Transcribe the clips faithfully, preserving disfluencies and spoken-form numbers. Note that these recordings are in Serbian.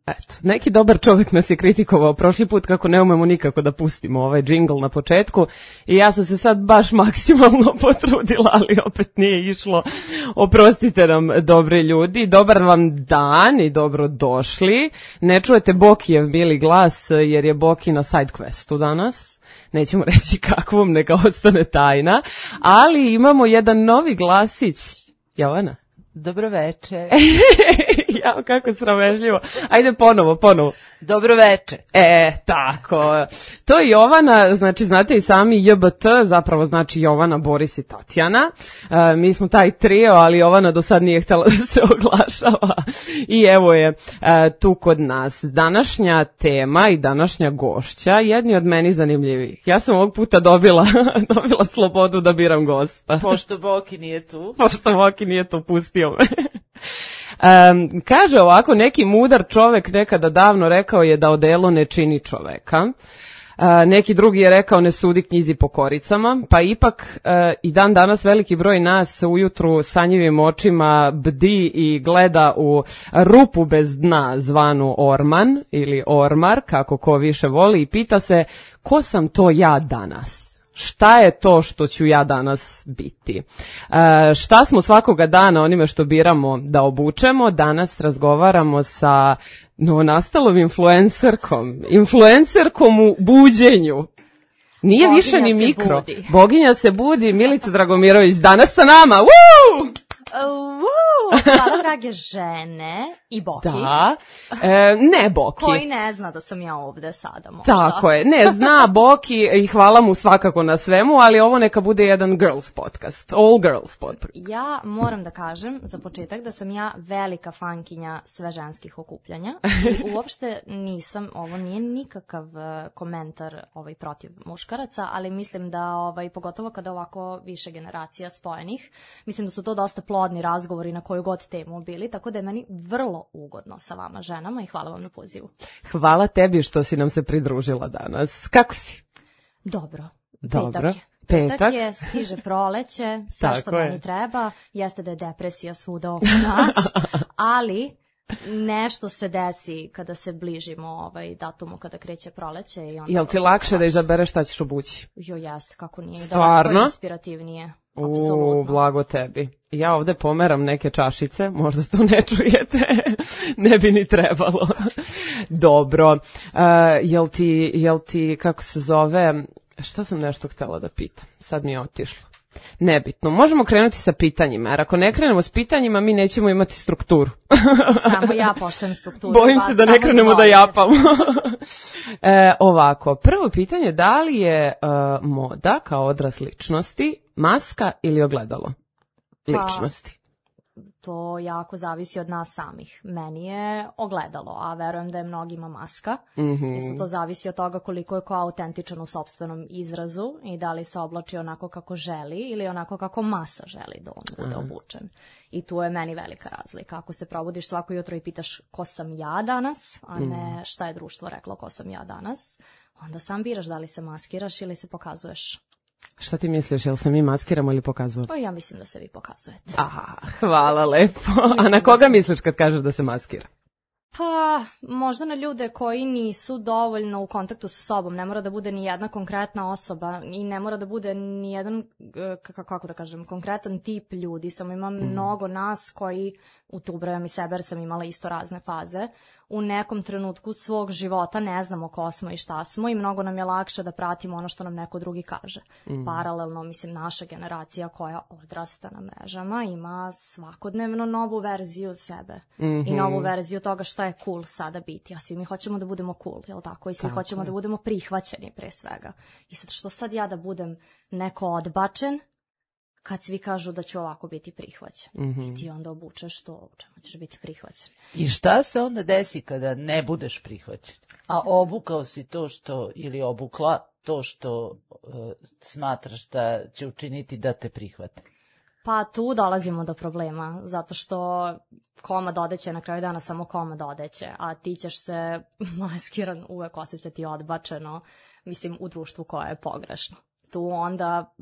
Eto, neki dobar čovjek nas je kritikovao prošli put kako ne umemo nikako da pustimo ovaj džingl na početku i ja sam se sad baš maksimalno potrudila, ali opet nije išlo. Oprostite nam, dobri ljudi, dobar vam dan i dobro došli. Ne čujete Bokijev mili glas jer je Boki na side questu danas. Nećemo reći kakvom, neka ostane tajna, ali imamo jedan novi glasić. Jovana? Dobro veče. Ja, kako sramežljivo. Ajde ponovo, ponovo. Dobro veče. E, tako. To je Jovana, znači znate i sami J B T, zapravo znači Jovana, Boris i Tatjana. E, mi smo taj trio, ali Jovana do sad nije htjela da se oglašava. I evo je e, tu kod nas. Današnja tema i današnja gošća, jedni od meni zanimljivih. Ja sam ovog puta dobila, dobila slobodu da biram gosta. Pošto Boki nije tu. Pošto Boki nije tu, pustio me. Um, kaže ovako, neki mudar čovek nekada davno rekao je da odelo ne čini čoveka. Uh, neki drugi je rekao ne sudi knjizi po koricama, pa ipak uh, i dan danas veliki broj nas ujutru sanjivim očima bdi i gleda u rupu bez dna zvanu orman ili ormar, kako ko više voli, i pita se ko sam to ja danas? Šta je to što ću ja danas biti? E, šta smo svakoga dana onime što biramo da obučemo? Danas razgovaramo sa novonastalom influencerkom. Influencerkom u buđenju. Nije Boginja više ni mikro. Budi. Boginja se budi. Milica Dragomirović danas sa nama. Woo! Uh, hvala drage žene i Boki. Da, e, ne Boki. Koji ne zna da sam ja ovde sada možda. Tako je, ne zna Boki i hvala mu svakako na svemu, ali ovo neka bude jedan girls podcast, all girls podcast. Ja moram da kažem za početak da sam ja velika fankinja sveženskih okupljanja i uopšte nisam, ovo nije nikakav komentar ovaj protiv muškaraca, ali mislim da ovaj, pogotovo kada ovako više generacija spojenih, mislim da su to dosta plodni razgovori na koju god temu bili, tako da je meni vrlo ugodno sa vama ženama i hvala vam na pozivu. Hvala tebi što si nam se pridružila danas. Kako si? Dobro. Dobro. Petak je. Petak. Petak je, stiže proleće, sve Tako što je. meni treba, jeste da je depresija svuda oko nas, ali nešto se desi kada se bližimo ovaj datumu kada kreće proleće. I onda Jel ti lakše da izabereš šta ćeš obući? Jo, jeste, kako nije. Stvarno? Daleko inspirativnije. Apsolutno. U, blago tebi. Ja ovde pomeram neke čašice, možda to ne čujete, ne bi ni trebalo. Dobro. Uh, jel ti, jel ti, kako se zove, šta sam nešto htjela da pitam? Sad mi je otišlo. Nebitno. Možemo krenuti sa pitanjima, jer ako ne krenemo s pitanjima, mi nećemo imati strukturu. Samo ja poštujem strukturu. Bojim se da ne krenemo da japamo. e, ovako, prvo pitanje, da li je uh, moda kao odraz ličnosti maska ili ogledalo ličnosti? Pa, to jako zavisi od nas samih. Meni je ogledalo, a verujem da je mnogima maska. Mm-hmm. I sad to zavisi od toga koliko je ko autentičan u sopstvenom izrazu i da li se oblači onako kako želi ili onako kako masa želi da on bude Aha. obučen. I tu je meni velika razlika. Ako se probudiš svako jutro i pitaš ko sam ja danas, a ne šta je društvo reklo ko sam ja danas, onda sam biraš da li se maskiraš ili se pokazuješ. Šta ti misliš, jel se mi maskiramo ili pokazujemo? Pa ja mislim da se vi pokazujete. Aha, hvala lepo. A na koga misliš kad kažeš da se maskira? Pa, možda na ljude koji nisu dovoljno u kontaktu sa sobom. Ne mora da bude ni jedna konkretna osoba i ne mora da bude ni jedan, kako da kažem, konkretan tip ljudi. Samo ima mm. mnogo nas koji, u tu ubrajam i sebe jer sam imala isto razne faze, u nekom trenutku svog života ne znamo ko smo i šta smo i mnogo nam je lakše da pratimo ono što nam neko drugi kaže. Mm. Paralelno, mislim, naša generacija koja odrasta na mrežama ima svakodnevno novu verziju sebe mm-hmm. i novu verziju toga šta je cool sada biti. A svi mi hoćemo da budemo cool, jel tako? I svi tako hoćemo je. Da budemo prihvaćeni pre svega. I sad što sad ja da budem neko odbačen kad svi kažu da ću ovako biti prihvaćen. Mm-hmm. I ti onda obučeš to u čemu ćeš biti prihvaćen. I šta se onda desi kada ne budeš prihvaćen? A obukao si to što, ili obukla to što uh, smatraš da će učiniti da te prihvate? Pa tu dolazimo do problema, zato što komad odeće na kraju dana samo komad odeće, a ti ćeš se maskiran uvek osjećati odbačeno, mislim, u društvu koje je pogrešno. Tu onda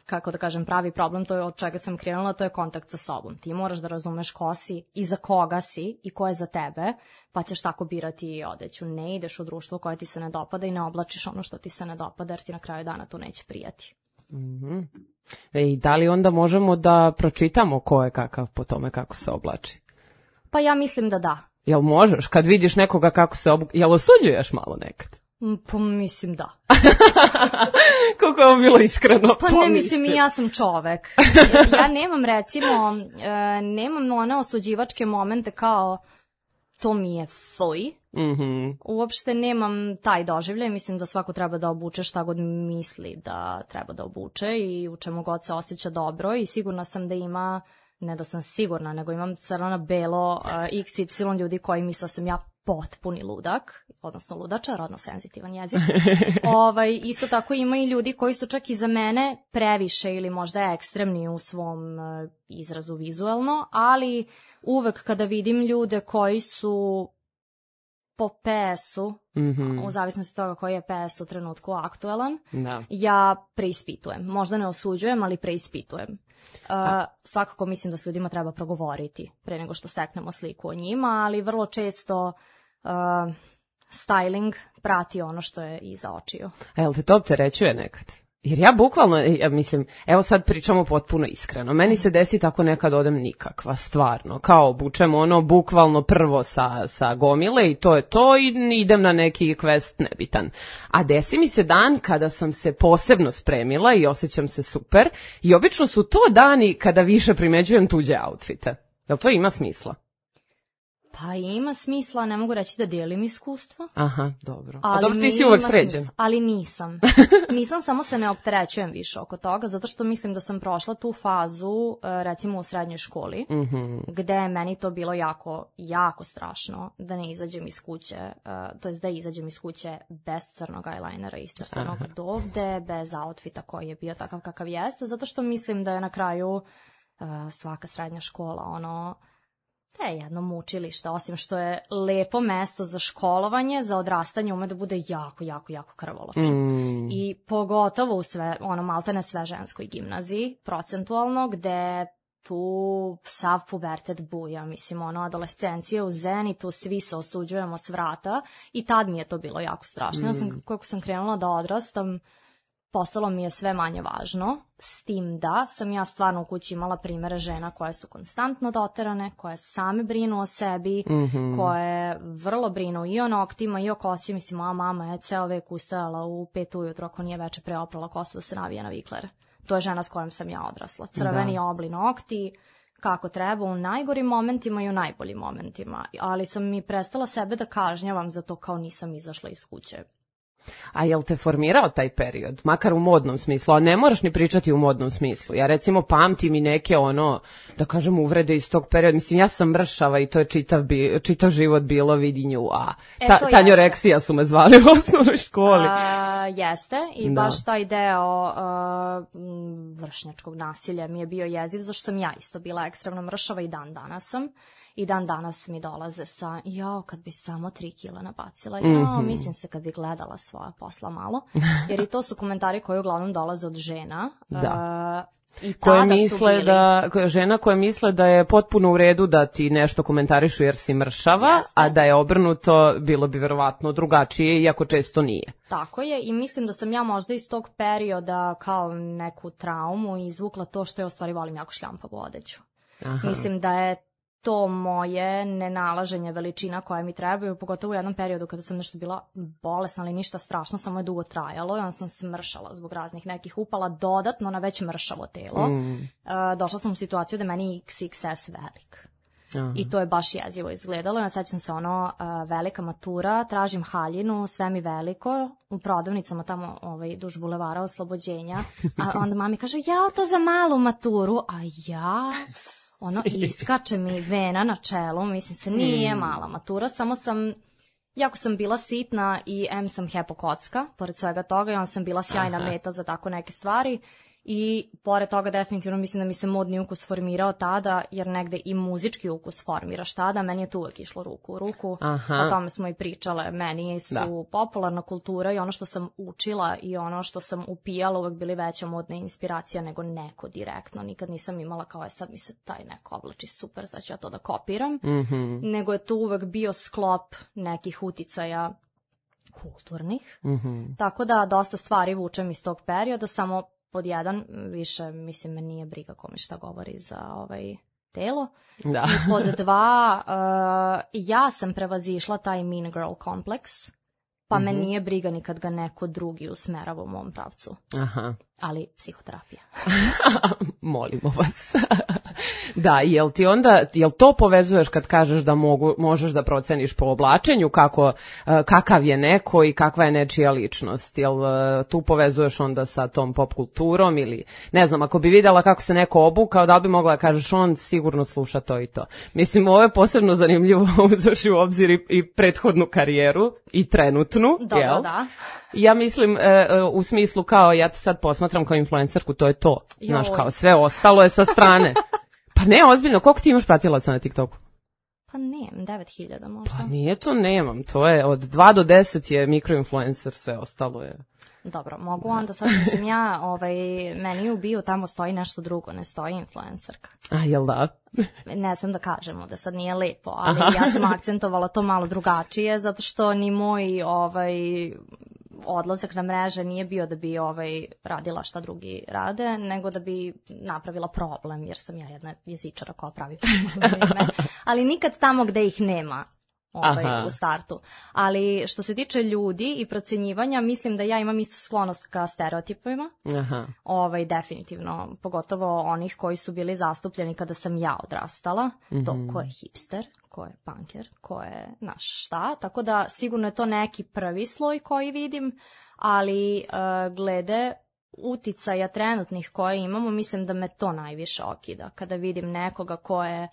kako da kažem, pravi problem, to je od čega sam krenula, to je kontakt sa sobom. Ti moraš da razumeš ko si i za koga si i ko je za tebe, pa ćeš tako birati i odeću. Ne ideš u društvo koje ti se ne dopada i ne oblačiš ono što ti se ne dopada, jer ti na kraju dana to neće prijati. Mm-hmm. E, i da li onda možemo da pročitamo ko je kakav po tome kako se oblači? Pa ja mislim da da. Jel možeš? Kad vidiš nekoga kako se oblači, jel osuđuješ malo nekad? Pa mislim da. Koliko je ovo bilo iskreno. Pa ne, mislim, i ja sam čovek. Ja nemam, recimo, nemam one osuđivačke momente kao to mi je fuj. Mm-hmm. Uopšte nemam taj doživljaj. Mislim da svako treba da obuče šta god misli da treba da obuče i u čemu god se osjeća dobro i sigurna sam da ima, ne da sam sigurna, nego imam crno na belo uh, iks ipsilon ljudi koji misle sam ja potpuni ludak, odnosno ludača, rodno senzitivan jezik. ovaj, isto tako ima i ljudi koji su čak i za mene previše ili možda ekstremni u svom uh, izrazu vizuelno, ali uvek kada vidim ljude koji su po P S-u, mm-hmm. u zavisnosti toga koji je P S u trenutku aktualan, da. Ja preispitujem. Možda ne osuđujem, ali preispitujem. Uh, svakako mislim da s ljudima treba progovoriti pre nego što steknemo sliku o njima, ali vrlo često uh, styling prati ono što je iza očiju. A jel te to opterećuje nekad? Jer ja bukvalno, ja mislim, evo sad pričamo potpuno iskreno, meni se desi tako nekad odem nikakva, stvarno, kao obučem ono bukvalno prvo sa, sa gomile i to je to i idem na neki quest nebitan. A desi mi se dan kada sam se posebno spremila i osjećam se super i obično su to dani kada više primeđujem tuđe outfite. Jel to ima smisla? Pa ima smisla, ne mogu reći da dijelim iskustvo. Aha, dobro. Ali A dobro, ti si uvek sređen. Smisla, ali nisam. Nisam, samo se ne opterećujem više oko toga, zato što mislim da sam prošla tu fazu, recimo u srednjoj školi, mm-hmm. gde je meni to bilo jako, jako strašno da ne izađem iz kuće, to jest da izađem iz kuće bez crnog eyelinera iscrtanog dovde, bez outfita koji je bio takav kakav jeste, zato što mislim da je na kraju svaka srednja škola ono... To je jedno mučilište, osim što je lepo mesto za školovanje, za odrastanje ume da bude jako, jako, jako krvoločno. Mm. I pogotovo u sve, ono, maltene sve ženskoj gimnaziji, procentualno, gde tu sav pubertet buja, mislim, ono, adolescencija u zenitu, svi se osuđujemo s vrata i tad mi je to bilo jako strašno. Mm. Ja sam, kako sam krenula da odrastam, postalo mi je sve manje važno, s tim da sam ja stvarno u kući imala primere žena koje su konstantno doterane, koje same brinu o sebi, mm-hmm. koje vrlo brinu i o noktima i o kosi. Mislim, moja mama je ceo vek ustajala u pet ujutro ako nije veče preoprala kosu da se navije na vikler. To je žena s kojom sam ja odrasla. Crveni da. Obli nokti, kako treba, u najgorim momentima i u najboljim momentima. Ali sam mi prestala sebe da kažnjavam za to kao nisam izašla iz kuće. A jel te formirao taj period, makar u modnom smislu, a ne moraš ni pričati u modnom smislu. Ja recimo pamtim i neke ono, da kažem, uvrede iz tog perioda. Mislim, ja sam mršava i to je čitav, bi, čitav život bilo vidi nju, a ta, e, tanjoreksija su me zvali u osnovnoj školi. A, jeste i da. Baš taj deo a, vršnjačkog nasilja mi je bio jeziv, zašto sam ja isto bila ekstremno mršava i dan danas sam. I dan danas mi dolaze sa, jao, kad bi samo tri kila nabacila, jao, mm-hmm. mislim se kad bi gledala svoja posla malo, jer i to su komentari koji uglavnom dolaze od žena. Da. Uh, i koje tada misle su bili... da, žena koje misle da je potpuno u redu da ti nešto komentarišu jer si mršava, Jeste. A da je obrnuto, bilo bi verovatno drugačije, iako često nije. Tako je i mislim da sam ja možda iz tog perioda kao neku traumu izvukla to što je u stvari volim jako šljampavu odeću. Aha. Mislim da je to moje nenalaženje veličina koje mi trebaju, pogotovo u jednom periodu kada sam nešto bila bolesna, ali ništa strašno, samo je dugo trajalo i onda sam smršala zbog raznih nekih upala dodatno na već mršavo telo. Mm. Uh, došla sam u situaciju da meni iks iks es velik. Aha. I to je baš jezivo izgledalo. Ja sećam se ono, uh, velika matura, tražim haljinu, sve mi veliko, u prodavnicama tamo ovaj, duž bulevara Oslobođenja, a onda mami kaže, ja to za malu maturu, a ja... Ono, iskače mi vena na čelu, mislim se nije mm. mala matura, samo sam, jako sam bila sitna i em sam hepokocka, pored svega toga, i onda sam bila sjajna Aha. meta za tako neke stvari I pored toga definitivno mislim da mi se modni ukus formirao tada, jer negde i muzički ukus formiraš tada, meni je to uvek išlo ruku u ruku. Aha. O tome smo i pričale, meni su da. popularna kultura i ono što sam učila i ono što sam upijala uvek bili veća modna inspiracija nego neko direktno. Nikad nisam imala kao je sad mi se taj neko oblači super, sad ću ja to da kopiram. Mm-hmm. Nego je to uvek bio sklop nekih uticaja kulturnih. Mm-hmm. Tako da dosta stvari vučem iz tog perioda, samo pod jedan, više, mislim, me nije briga kome šta govori za ovaj telo. Da. I pod dva, uh, ja sam prevazišla taj mean girl kompleks, pa mm-hmm. me nije briga ni kad ga neko drugi usmerava u mom pravcu. Aha. Ali psihoterapija. Molimo vas. Da, jel ti onda, jel to povezuješ kad kažeš da mogu, možeš da proceniš po oblačenju kako, kakav je neko i kakva je nečija ličnost? Jel tu povezuješ onda sa tom pop kulturom ili, ne znam, ako bi vidjela kako se neko obukao, da li bi mogla da kažeš on sigurno sluša to i to? Mislim, ovo je posebno zanimljivo uzavši u obzir i, i prethodnu karijeru i trenutnu, dobro, jel? Da. Ja mislim e, u smislu kao ja te sad posmatram kao influencerku, to je to. Joj. Znaš, kao sve ostalo je sa strane. Pa ne, ozbiljno, koliko ti imaš pratilaca na TikToku? Pa nemam, devet hiljada možda. Pa nije to, nemam, to je od dva do deset je mikroinfluencer, sve ostalo je. Dobro, mogu onda sad, mislim ja, ovaj, meni u bio tamo stoji nešto drugo, ne stoji influencerka. A, jel da? Ne smijem da kažemo da sad nije lepo, ali Aha. ja sam akcentovala to malo drugačije, zato što ni moj ovaj, odlazak na mreže nije bio da bi ovaj, radila šta drugi rade, nego da bi napravila problem, jer sam ja jedna jezičara koja pravi probleme. Ali nikad tamo gde ih nema. Ovaj, u startu. Ali što se tiče ljudi i procenjivanja, mislim da ja imam isto sklonost ka stereotipima. Aha. Ovaj, definitivno, pogotovo onih koji su bili zastupljeni kada sam ja odrastala. Mm-hmm. To ko je hipster, ko je punker, ko je naš šta. Tako da sigurno je to neki prvi sloj koji vidim, ali uh, glede uticaja trenutnih koje imamo, mislim da me to najviše okida. Kada vidim nekoga ko je,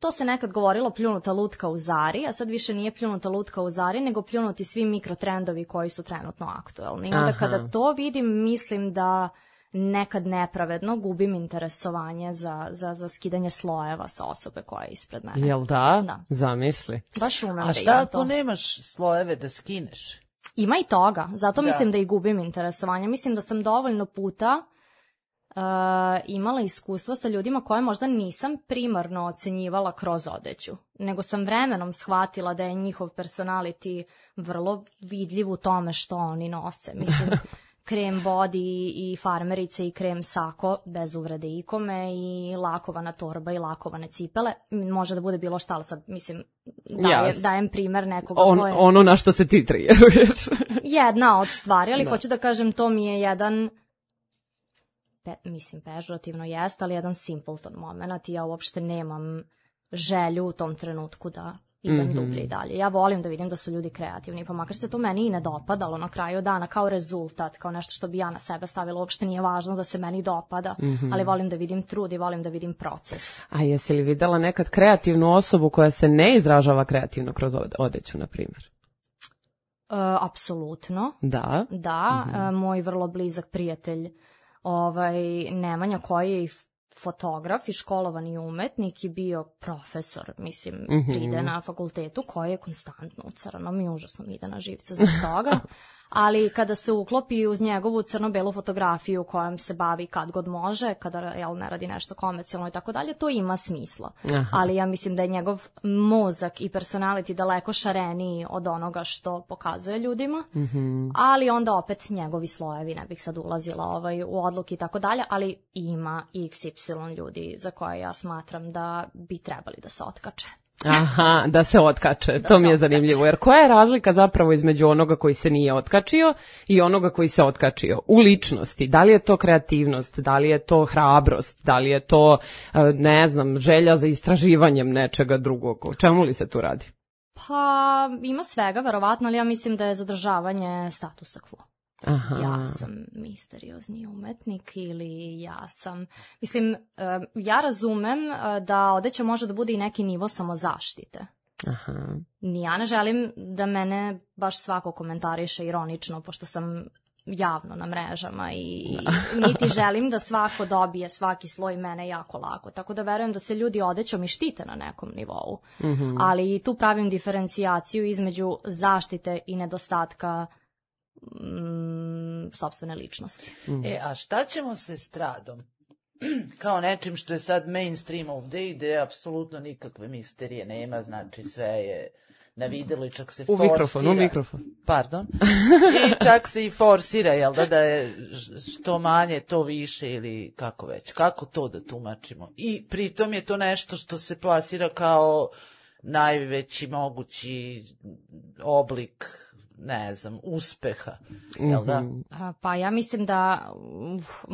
to se nekad govorilo pljunuta lutka u Zari, a sad više nije pljunuta lutka u Zari, nego pljunuti svi mikrotrendovi koji su trenutno aktuelni. I onda kada to vidim, mislim da nekad nepravedno gubim interesovanje za, za, za skidanje slojeva sa osobe koja je ispred mene. Jel da? Da. Zamisli. Baš umem a da šta imam ako to. nemaš slojeve da skineš? Ima i toga, zato da. mislim da i gubim interesovanje. Mislim da sam dovoljno puta Uh, imala iskustva sa ljudima koje možda nisam primarno ocenjivala kroz odeću, nego sam vremenom shvatila da je njihov personality vrlo vidljiv u tome što oni nose. Mislim, krem body i farmerice i krem sako, bez uvrede ikome, i lakovana torba i lakovane cipele. Može da bude bilo šta, ali sad, mislim, dajem, yes. dajem primer nekoga On, koje... Ono na što se ti trijeruješ. Jedna od stvari, ali da. Hoću da kažem, to mi je jedan... Pe, mislim, pežurativno jest, ali jedan simpleton moment i ja uopšte nemam želju u tom trenutku da idem mm-hmm. dublje i dalje. Ja volim da vidim da su ljudi kreativni, pa makar se to meni i ne dopadalo na kraju dana kao rezultat, kao nešto što bi ja na sebe stavila, uopšte nije važno da se meni dopada, mm-hmm. ali volim da vidim trud i volim da vidim proces. A jesi li videla nekad kreativnu osobu koja se ne izražava kreativno kroz odeću, na primjer? Uh, apsolutno. Da? Da, mm-hmm. uh, moj vrlo blizak prijatelj Ovaj, Nemanja, koji je i fotograf i školovani umetnik i bio profesor, mislim, mm-hmm. pride na fakultetu, koji je konstantno u crnom i užasno mi ide na živce zbog toga. Ali kada se uklopi uz njegovu crno-belu fotografiju kojom se bavi kad god može, kada jel, ne radi nešto komercijalno i tako dalje, to ima smisla. Aha. Ali ja mislim da je njegov mozak i personality daleko šareniji od onoga što pokazuje ljudima, mm-hmm. ali onda opet njegovi slojevi, ne bih sad ulazila ovaj, u odluke i tako dalje, ali ima iks ipsilon ljudi za koje ja smatram da bi trebali da se otkače. Aha, da se otkače, da to mi je zanimljivo, jer koja je razlika zapravo između onoga koji se nije otkačio i onoga koji se otkačio u ličnosti? Da li je to kreativnost, da li je to hrabrost, da li je to, ne znam, želja za istraživanjem nečega drugog, o čemu li se tu radi? Pa ima svega, verovatno, ali ja mislim da je zadržavanje statusa quo. Aha. Ja sam misteriozni umetnik ili ja sam... Mislim, ja razumem da odeća može da bude i neki nivo samozaštite. Aha. Ni ja ne želim da mene baš svako komentariše ironično, pošto sam javno na mrežama i niti želim da svako dobije svaki sloj mene jako lako. Tako da verujem da se ljudi odećom i štite na nekom nivou. Mm-hmm. Ali i tu pravim diferencijaciju između zaštite i nedostatka mm, sopstvene ličnosti. Mm. E, a šta ćemo se stradom? Kao nečim što je sad mainstream ovde, gde apsolutno nikakve misterije nema, znači sve je na videlu i čak se u forsira. Mikrofon, u mikrofon. Pardon. I čak se i forsira, jel da, da je što manje, to više ili kako već. Kako to da tumačimo? I pritom je to nešto što se plasira kao najveći mogući oblik, ne znam, uspeha, jel da? Mm-hmm. Pa ja mislim da uf,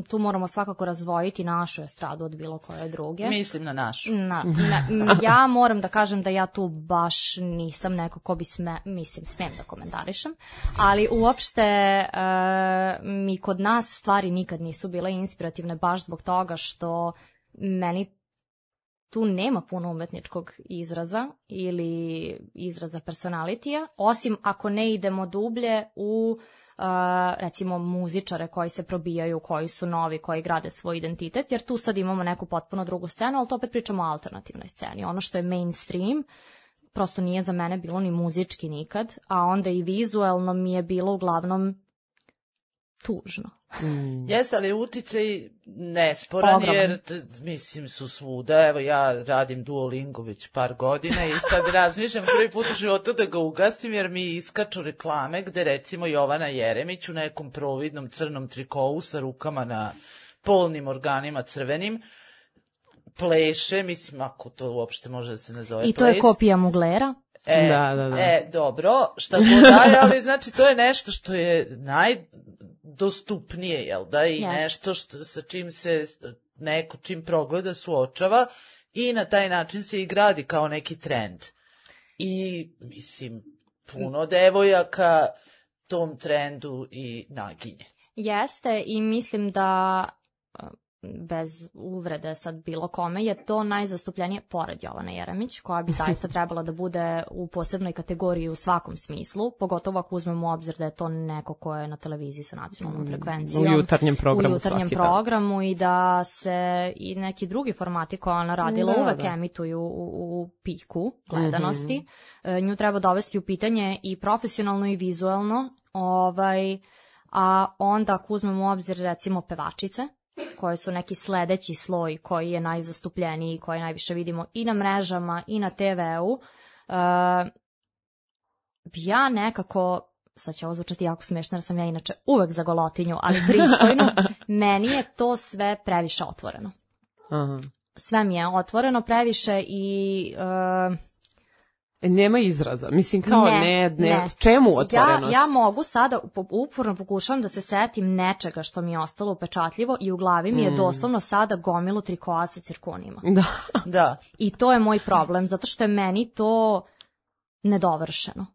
tu moramo svakako razdvojiti našu estradu od bilo koje druge. Mislim na našu. Na, na, ja moram da kažem da ja tu baš nisam neko ko bi sme, mislim, smem da komentarišem, ali uopšte e, mi kod nas stvari nikad nisu bile inspirativne baš zbog toga što meni tu nema puno umetničkog izraza ili izraza personalitija, osim ako ne idemo dublje u uh, recimo muzičare koji se probijaju, koji su novi, koji grade svoj identitet, jer tu sad imamo neku potpuno drugu scenu, ali to opet pričamo o alternativnoj sceni. Ono što je mainstream prosto nije za mene bilo ni muzički nikad, a onda i vizuelno mi je bilo uglavnom tužno. Mm. Jeste, ali uticaj nesporan, Ogroman. Jer t, mislim su svuda. Evo ja radim Duolingo već par godina i sad razmišljam prvi put u životu da ga ugasim, jer mi iskaču reklame gde recimo Jovana Jeremić u nekom providnom crnom trikovu sa rukama na polnim organima crvenim pleše, mislim ako to uopšte može da se nazove ples. I to ples. Je kopija Muglera. E, da, da, da. E, dobro, šta god daje, ali znači to je nešto što je najdostupnije, jel da, i yes. nešto što, sa čim se neko čim progleda suočava i na taj način se i gradi kao neki trend. I, mislim, puno devojaka tom trendu i naginje. Jeste, i mislim da bez uvrede sad bilo kome, je to najzastupljenije pored Jovane Jeremić, koja bi zaista trebala da bude u posebnoj kategoriji u svakom smislu, pogotovo ako uzmemo u obzir da je to neko ko je na televiziji sa nacionalnom frekvencijom. U jutarnjem programu. U jutarnjem programu i da se i neki drugi formati koje ona radila da, uvek da. emituju u, u piku gledanosti. Mm-hmm. Nju treba dovesti u pitanje i profesionalno i vizuelno, ovaj, a onda ako uzmemo u obzir recimo pevačice, koje su neki sledeći sloj koji je najzastupljeniji, koji najviše vidimo i na mrežama i na te veu. Uh, ja nekako, sad će ovo zvučati jako smiješno jer sam ja inače uvek za golotinju, ali pristojno, meni je to sve previše otvoreno. Aha. Sve mi je otvoreno previše i... Uh, nema izraza. Mislim kao ne, ne, ne. ne. Čemu otvorenost? Ja, ja mogu sada, uporno pokušavam da se setim nečega što mi je ostalo upečatljivo i u glavi mi je mm. doslovno sada gomilu trikoa sa cirkonima. Da. da. I to je moj problem, zato što je meni to nedovršeno.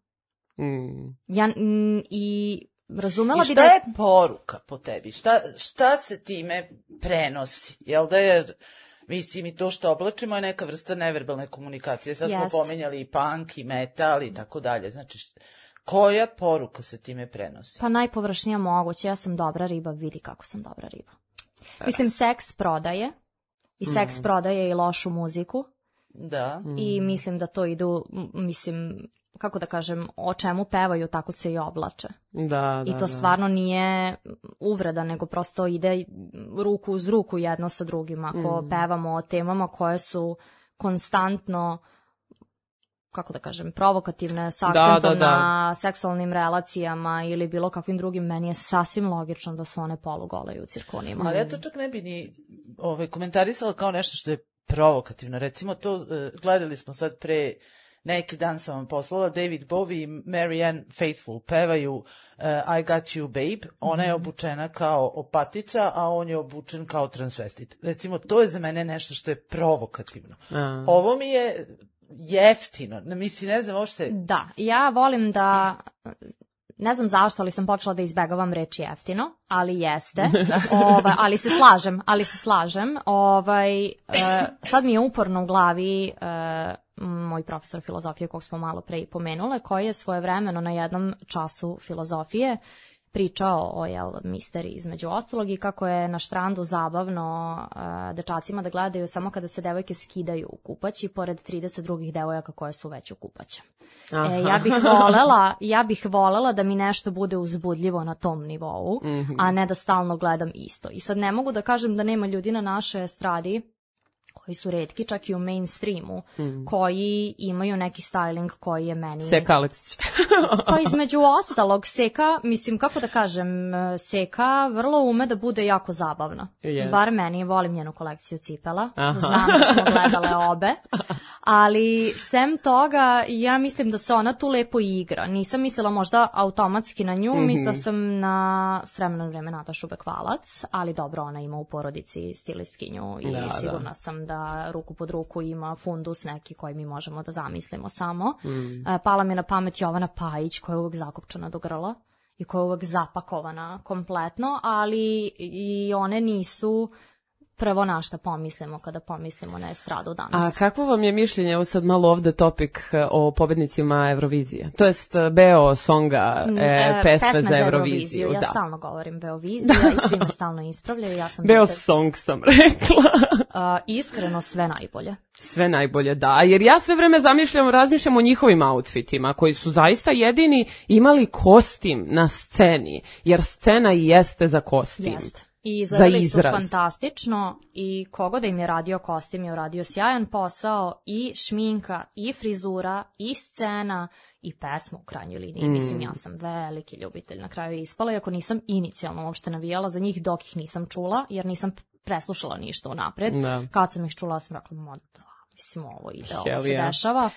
Mm. Ja m, i razumela I šta bi da... je poruka po tebi? Šta, šta se time prenosi? Jel da je... Mislim, i to što oblačimo je neka vrsta neverbalne komunikacije. Sad smo Jest. pomenjali i punk, i metal i tako dalje. Znači, koja poruka se time prenosi? Pa najpovršnija moguće. Ja sam dobra riba, vidi kako sam dobra riba. Mislim, seks prodaje. I seks mm. prodaje i lošu muziku. Da. I mislim da to idu, mislim... kako da kažem, o čemu pevaju, tako se i oblače. Da, da, I to stvarno da. nije uvreda, nego prosto ide ruku uz ruku jedno sa drugim. Ako mm. pevamo o temama koje su konstantno, kako da kažem, provokativne, s akcentom da, da, da. na seksualnim relacijama ili bilo kakvim drugim, meni je sasvim logično da su one polugole i u cirkonima. Ali ja to čak ne bi ni ovaj, komentarisala kao nešto što je provokativno. Recimo to, uh, gledali smo sad pre neki dan sam vam poslala, David Bowie i Marianne Faithfull pevaju uh, I Got You Babe, ona je obučena kao opatica, a on je obučen kao transvestit. Recimo, to je za mene nešto što je provokativno. A. Ovo mi je jeftino, mislim, ne znam uopšte... Da, ja volim da... Ne znam zašto, ali sam počela da izbegavam reč jeftino, ali jeste. Ovaj, ali se slažem, ali se slažem. Ovaj, uh, sad mi je uporno u glavi uh, moj profesor filozofije, kog smo malo pre pomenule, koji je svojevremeno na jednom času filozofije pričao o jel, misteriji između ostalog i kako je na štrandu zabavno uh, dečacima da gledaju samo kada se devojke skidaju u kupaći pored trideset drugih devojaka koje su već u kupaća. E, ja bih volela, ja bih volela da mi nešto bude uzbudljivo na tom nivou, mm-hmm. a ne da stalno gledam isto. I sad ne mogu da kažem da nema ljudi na našoj estradi koji su retki, čak i u mainstreamu, mm. koji imaju neki styling koji je meni... Seka Aleksić. Pa između ostalog, Seka, mislim, kako da kažem, Seka vrlo ume da bude jako zabavna. Yes. Bar meni, volim njenu kolekciju cipela. Aha. Znam da smo gledale obe. Ali, sem toga, ja mislim da se ona tu lepo igra. Nisam mislila možda automatski na nju, mm-hmm. mislila sam na s vremena na vreme Natašu Bekvalac, ali dobro, ona ima u porodici stilistkinju i da, sigurna da. sam da ruku pod ruku ima fundus neki koji mi možemo da zamislimo samo. Mm. Pala mi na pamet Jovana Pajić koja je uvek zakopčana do grla i koja je uvek zapakovana kompletno, ali i one nisu prvo na šta pomislimo kada pomislimo na estradu danas. A kakvo vam je mišljenje, evo sad malo ovde topik o pobednicima Eurovizije? To jest Beo songa e, pesme, pesme za Euroviziju. Ja da. stalno govorim Beovizija i svi me stalno ispravljaju. Ja sam Beo dete... song sam rekla. uh, iskreno sve najbolje. Sve najbolje, da. Jer ja sve vreme zamišljam, razmišljam o njihovim outfitima koji su zaista jedini imali kostim na sceni. Jer scena i jeste za kostim. Jeste. I izgledali su fantastično i kogo da im je radio kostim je uradio sjajan posao i šminka i frizura i scena i pesma u krajnjoj liniji. Mm. Mislim, ja sam veliki ljubitelj na kraju ispala, iako nisam inicijalno uopšte navijala za njih dok ih nisam čula, jer nisam preslušala ništa unapred. Da. Kad sam ih čula, sam rekla, ma da, mislim, ovo ide, ovo se dešava.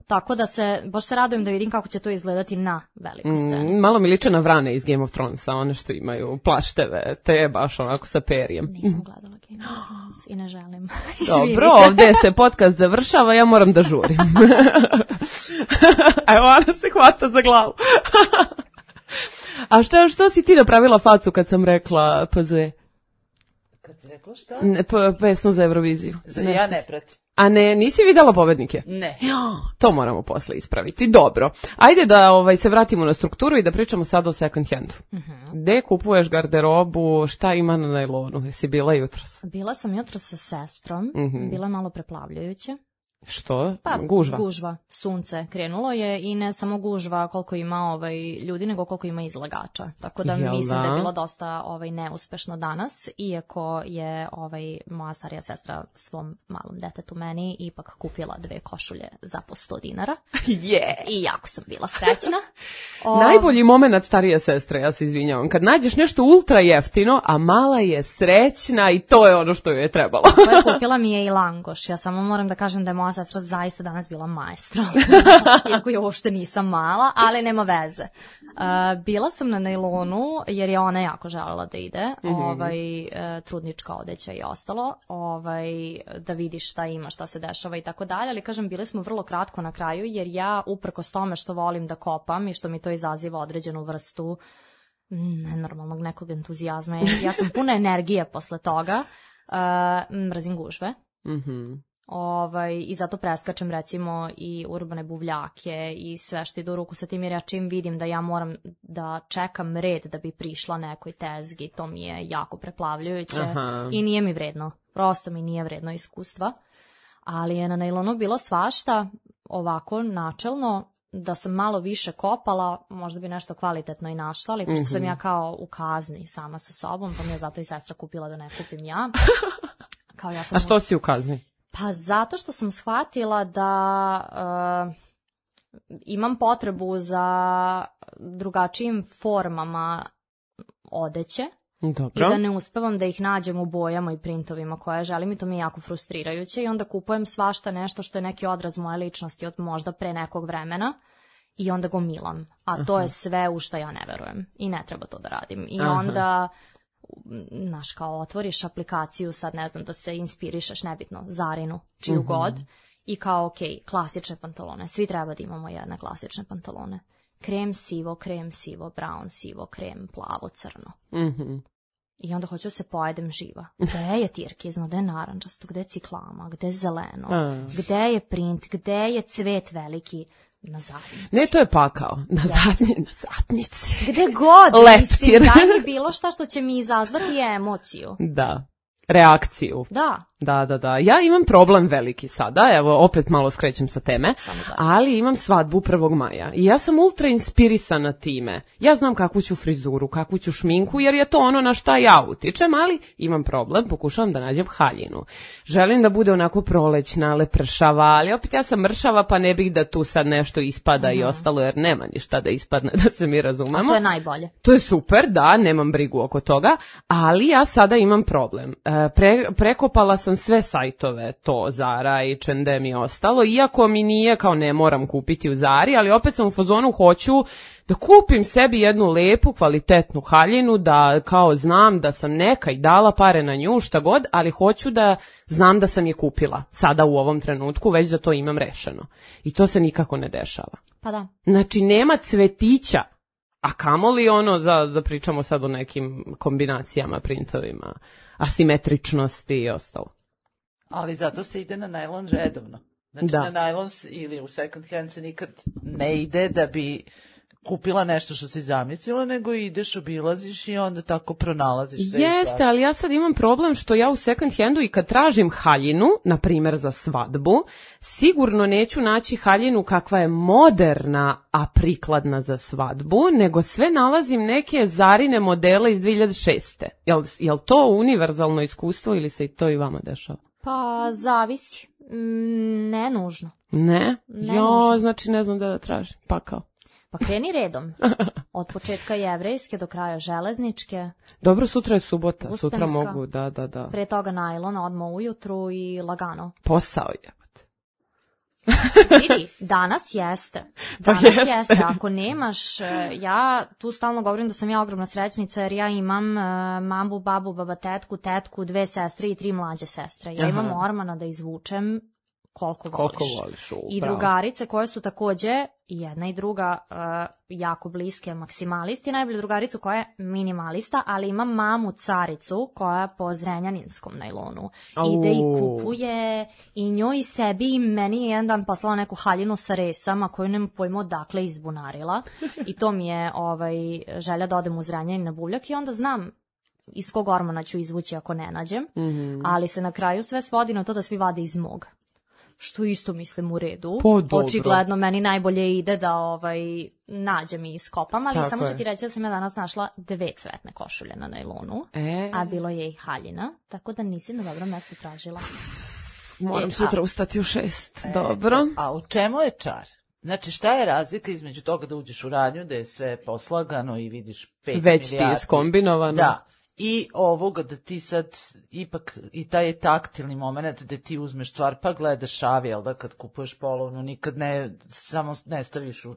Tako da se, baš se radujem da vidim kako će to izgledati na velikoj sceni. Mm, malo mi liče na vrane iz Game of Thronesa, one što imaju plašteve, te je baš onako sa perijem. Nisam gledala Game of Thrones i ne želim. Dobro, ovdje se podcast završava, ja moram da žurim. Evo, Ana se hvata za glavu. A što, što si ti napravila facu kad sam rekla P Z? Kad ti rekla šta? Ne, p- pesmu za Euroviziju. Za ja ne pratim. A ne, nisi videla pobednike? Ne. To moramo posle ispraviti. Dobro. Ajde da ovaj, se vratimo na strukturu i da pričamo sad o second handu. Uh-huh. Gde kupuješ garderobu, šta ima na najlonu? Jesi bila jutros? Bila sam jutros sa sestrom. Uh-huh. Bila je malo preplavljujuće. Što? Pa, gužva? Gužva. Sunce krenulo je i ne samo gužva koliko ima ovaj, ljudi, nego koliko ima izlagača. Tako da Jel mislim da? da je bilo dosta ovaj, neuspešno danas, iako je ovaj, moja starija sestra svom malom detetu meni ipak kupila dve košulje za po sto dinara. Yeah. I jako sam bila srećna. O... Najbolji moment starije sestre, ja se izvinjavam, kad nađeš nešto ultra jeftino, a mala je srećna i to je ono što joj je trebalo. Koja kupila mi je i langoš. Ja samo moram da kažem da je moja sestra zaista danas bila maestra, iako je uopšte nisam mala, ali nema veze. Uh, bila sam na najlonu, jer je ona jako želela da ide, mm-hmm. ovaj, uh, trudnička odeća i ostalo, ovaj, da vidiš šta ima, šta se dešava i tako dalje, ali kažem, bili smo vrlo kratko na kraju, jer ja, uprkos tome što volim da kopam i što mi to izaziva određenu vrstu nenormalnog nekog entuzijazma, ja sam puna energije posle toga, uh, mrzim gužve. Mhm. Ovaj, i zato preskačem recimo i urbane buvljake i sve što ide u ruku sa tim, jer ja čim vidim da ja moram da čekam red da bi prišla nekoj tezgi, to mi je jako preplavljujuće. Aha. I nije mi vredno, prosto mi nije vredno iskustva, ali je na najlonu bilo svašta, ovako načelno, da sam malo više kopala, možda bi nešto kvalitetno i našla, ali pošto mm-hmm. sam ja kao u kazni sama sa sobom, pa mi je zato i sestra kupila da ne kupim ja. Kao ja sam... A što si u kazni? Pa zato što sam shvatila da uh, imam potrebu za drugačijim formama odeće. Dobro. I da ne uspevam da ih nađem u bojama i printovima koje želim i to mi je jako frustrirajuće i onda kupujem svašta nešto što je neki odraz moje ličnosti od možda pre nekog vremena i onda gomilam. A to Aha. je sve u što ja ne verujem i ne treba to da radim. I Aha. onda... Znaš, kao otvoriš aplikaciju, sad ne znam, da se inspirišeš, nebitno, Zarinu, čiju uh-huh. god, i kao, ok, klasične pantalone, svi treba da imamo jedne klasične pantalone. Krem sivo, krem sivo, brown sivo, krem plavo, crno. Uh-huh. I onda hoću da se pojedem živa. Gde je tirkizno, gde je narančasto, gde je ciklama, gde je zeleno, uh. gde je print, gde je cvet veliki, Na zadnjici. Ne, to je pakao. Na zadnji, na zadnjici. Gde god, Leptir. mislim, daj mi bilo šta što će mi izazvati emociju. Da, reakciju. Da. Da, da, da. Ja imam problem veliki sada, evo opet malo skrećem sa teme, ali imam svadbu prvog maja i ja sam ultra inspirisana time. Ja znam kakvu ću frizuru, kakvu ću šminku, jer je to ono na šta ja utičem, ali imam problem, pokušavam da nađem haljinu. Želim da bude onako prolećna, lepršava, ali opet ja sam mršava, pa ne bih da tu sad nešto ispada mm-hmm. i ostalo, jer nema ništa da ispadne, da se mi razumemo. A to je najbolje. To je super, da, nemam brigu oko toga, ali ja sada imam problem. Pre, prekopala sam sve sajtove, to Zara i H and M i ostalo, iako mi nije kao ne moram kupiti u Zari, ali opet sam u fazonu hoću da kupim sebi jednu lepu, kvalitetnu haljinu, da kao znam da sam neka i dala pare na nju, šta god, ali hoću da znam da sam je kupila sada u ovom trenutku, već da to imam rešeno. I to se nikako ne dešava. Pa da. Znači, nema cvetića, a kamoli ono, da, da pričamo sad o nekim kombinacijama, printovima, asimetričnosti i ostalo. Ali zato se ide na najlon redovno. Znači da. Na najlon ili u second hand se nikad ne ide da bi kupila nešto što si zamislila, nego ideš, obilaziš i onda tako pronalaziš sve. Jeste, ali ja sad imam problem što ja u second handu i kad tražim haljinu, na primjer za svadbu, sigurno neću naći haljinu kakva je moderna, a prikladna za svadbu, nego sve nalazim neke Zarine modele iz dve hiljade šeste. Jel, jel to univerzalno iskustvo ili se i to i vama dešava? Pa zavisi. Mm, ne nužno. Ne? Ne jo, nužno. znači ne znam da da tražim. Pa kao. Pa kreni redom. Od početka jevrejske do kraja železničke. Dobro, sutra je subota. Uspenska. Sutra mogu, da, da, da. Pre toga najlona, odmah ujutru i lagano. Posao je. Vidi, danas jeste. Danas pa jeste. jeste. Ako nemaš, ja tu stalno govorim da sam ja ogromna srećnica jer ja imam uh, mamu, babu, baba, tetku, tetku, dve sestre i tri mlađe sestre. Ja Aha. imam ormana da izvučem koliko, koliko voliš. voliš u, I drugarice koje su takođe, jedna i druga, uh, jako bliske maksimalisti. Najbolja drugaricu koja je minimalista, ali imam mamu caricu koja je po zrenjaninskom najlonu. Au. Ide i kupuje i njoj i sebi i meni je jedan dan poslala neku haljinu sa resama koju nema pojma odakle izbunarila. I to mi je ovaj, želja da odem u Zrenjanin na buvljak i onda znam iz kog ormana ću izvući ako ne nađem. Mm-hmm. Ali se na kraju sve svodi na to da svi vade iz mog. Što isto mislim u redu. Po, očigledno meni najbolje ide da ovaj nađem i iskopam, ali tako samo ću je. ti reći da sam ja danas našla dve cvetne košulje na najlonu, e. a bilo je i haljina, tako da nisi na dobro mesto tražila. Moram e, sutra a, ustati u šest. E, Dobro. A u čemu je čar? Znači, šta je razlika između toga da uđeš u radnju, da je sve poslagano i vidiš pet milijardi? Već ti je skombinovano. Da. I ovoga da ti sad ipak i taj taktilni moment da ti uzmeš stvar pa gledaš šavi, jel da kad kupuješ polovnu nikad ne samo ne staviš u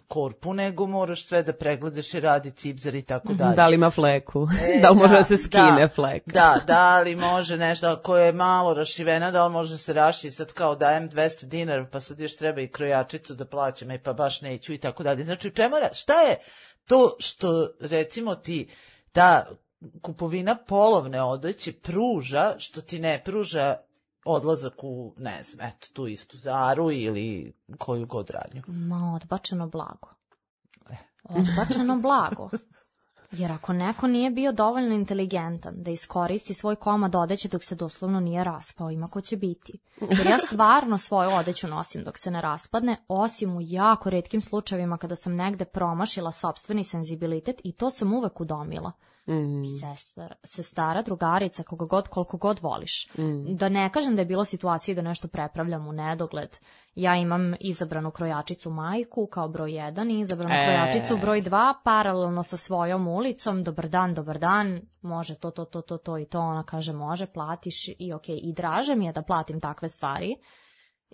korpu, nego moraš sve da pregledaš i radi cipzar i tako dalje. Da li ima fleku? E, da li može da, da se skine da, fleka? Da, da li može nešto, ako je malo rašivena, da li može da se raši, sad kao dajem dvesta dinara, pa sad još treba i krojačicu da plaćam, i pa baš neću i tako dalje. Znači, u čemu, šta je to što, recimo ti, ta kupovina polovne odeće pruža, što ti ne pruža odlazak u, ne znam, eto, tu istu Zaru ili koju god radnju? Ma, odbačeno blago. Odbačeno blago. Jer ako neko nije bio dovoljno inteligentan da iskoristi svoj komad odeće dok se doslovno nije raspao, ima ko će biti. Jer ja stvarno svoju odeću nosim dok se ne raspadne, osim u jako retkim slučajevima kada sam negde promašila sopstveni senzibilitet i to sam uvek udomila. Mm. Sestar, sestara, drugarica, koga god, koliko god voliš. Mm. Da ne kažem da je bilo situacije da nešto prepravljam u nedogled. Ja imam izabranu krojačicu majku kao broj jedan i izabranu e. krojačicu broj dva, paralelno sa svojom ulicom. Dobar dan, dobar dan, može to, to, to, to, to i to. Ona kaže može, platiš i okej. I draže mi je da platim takve stvari.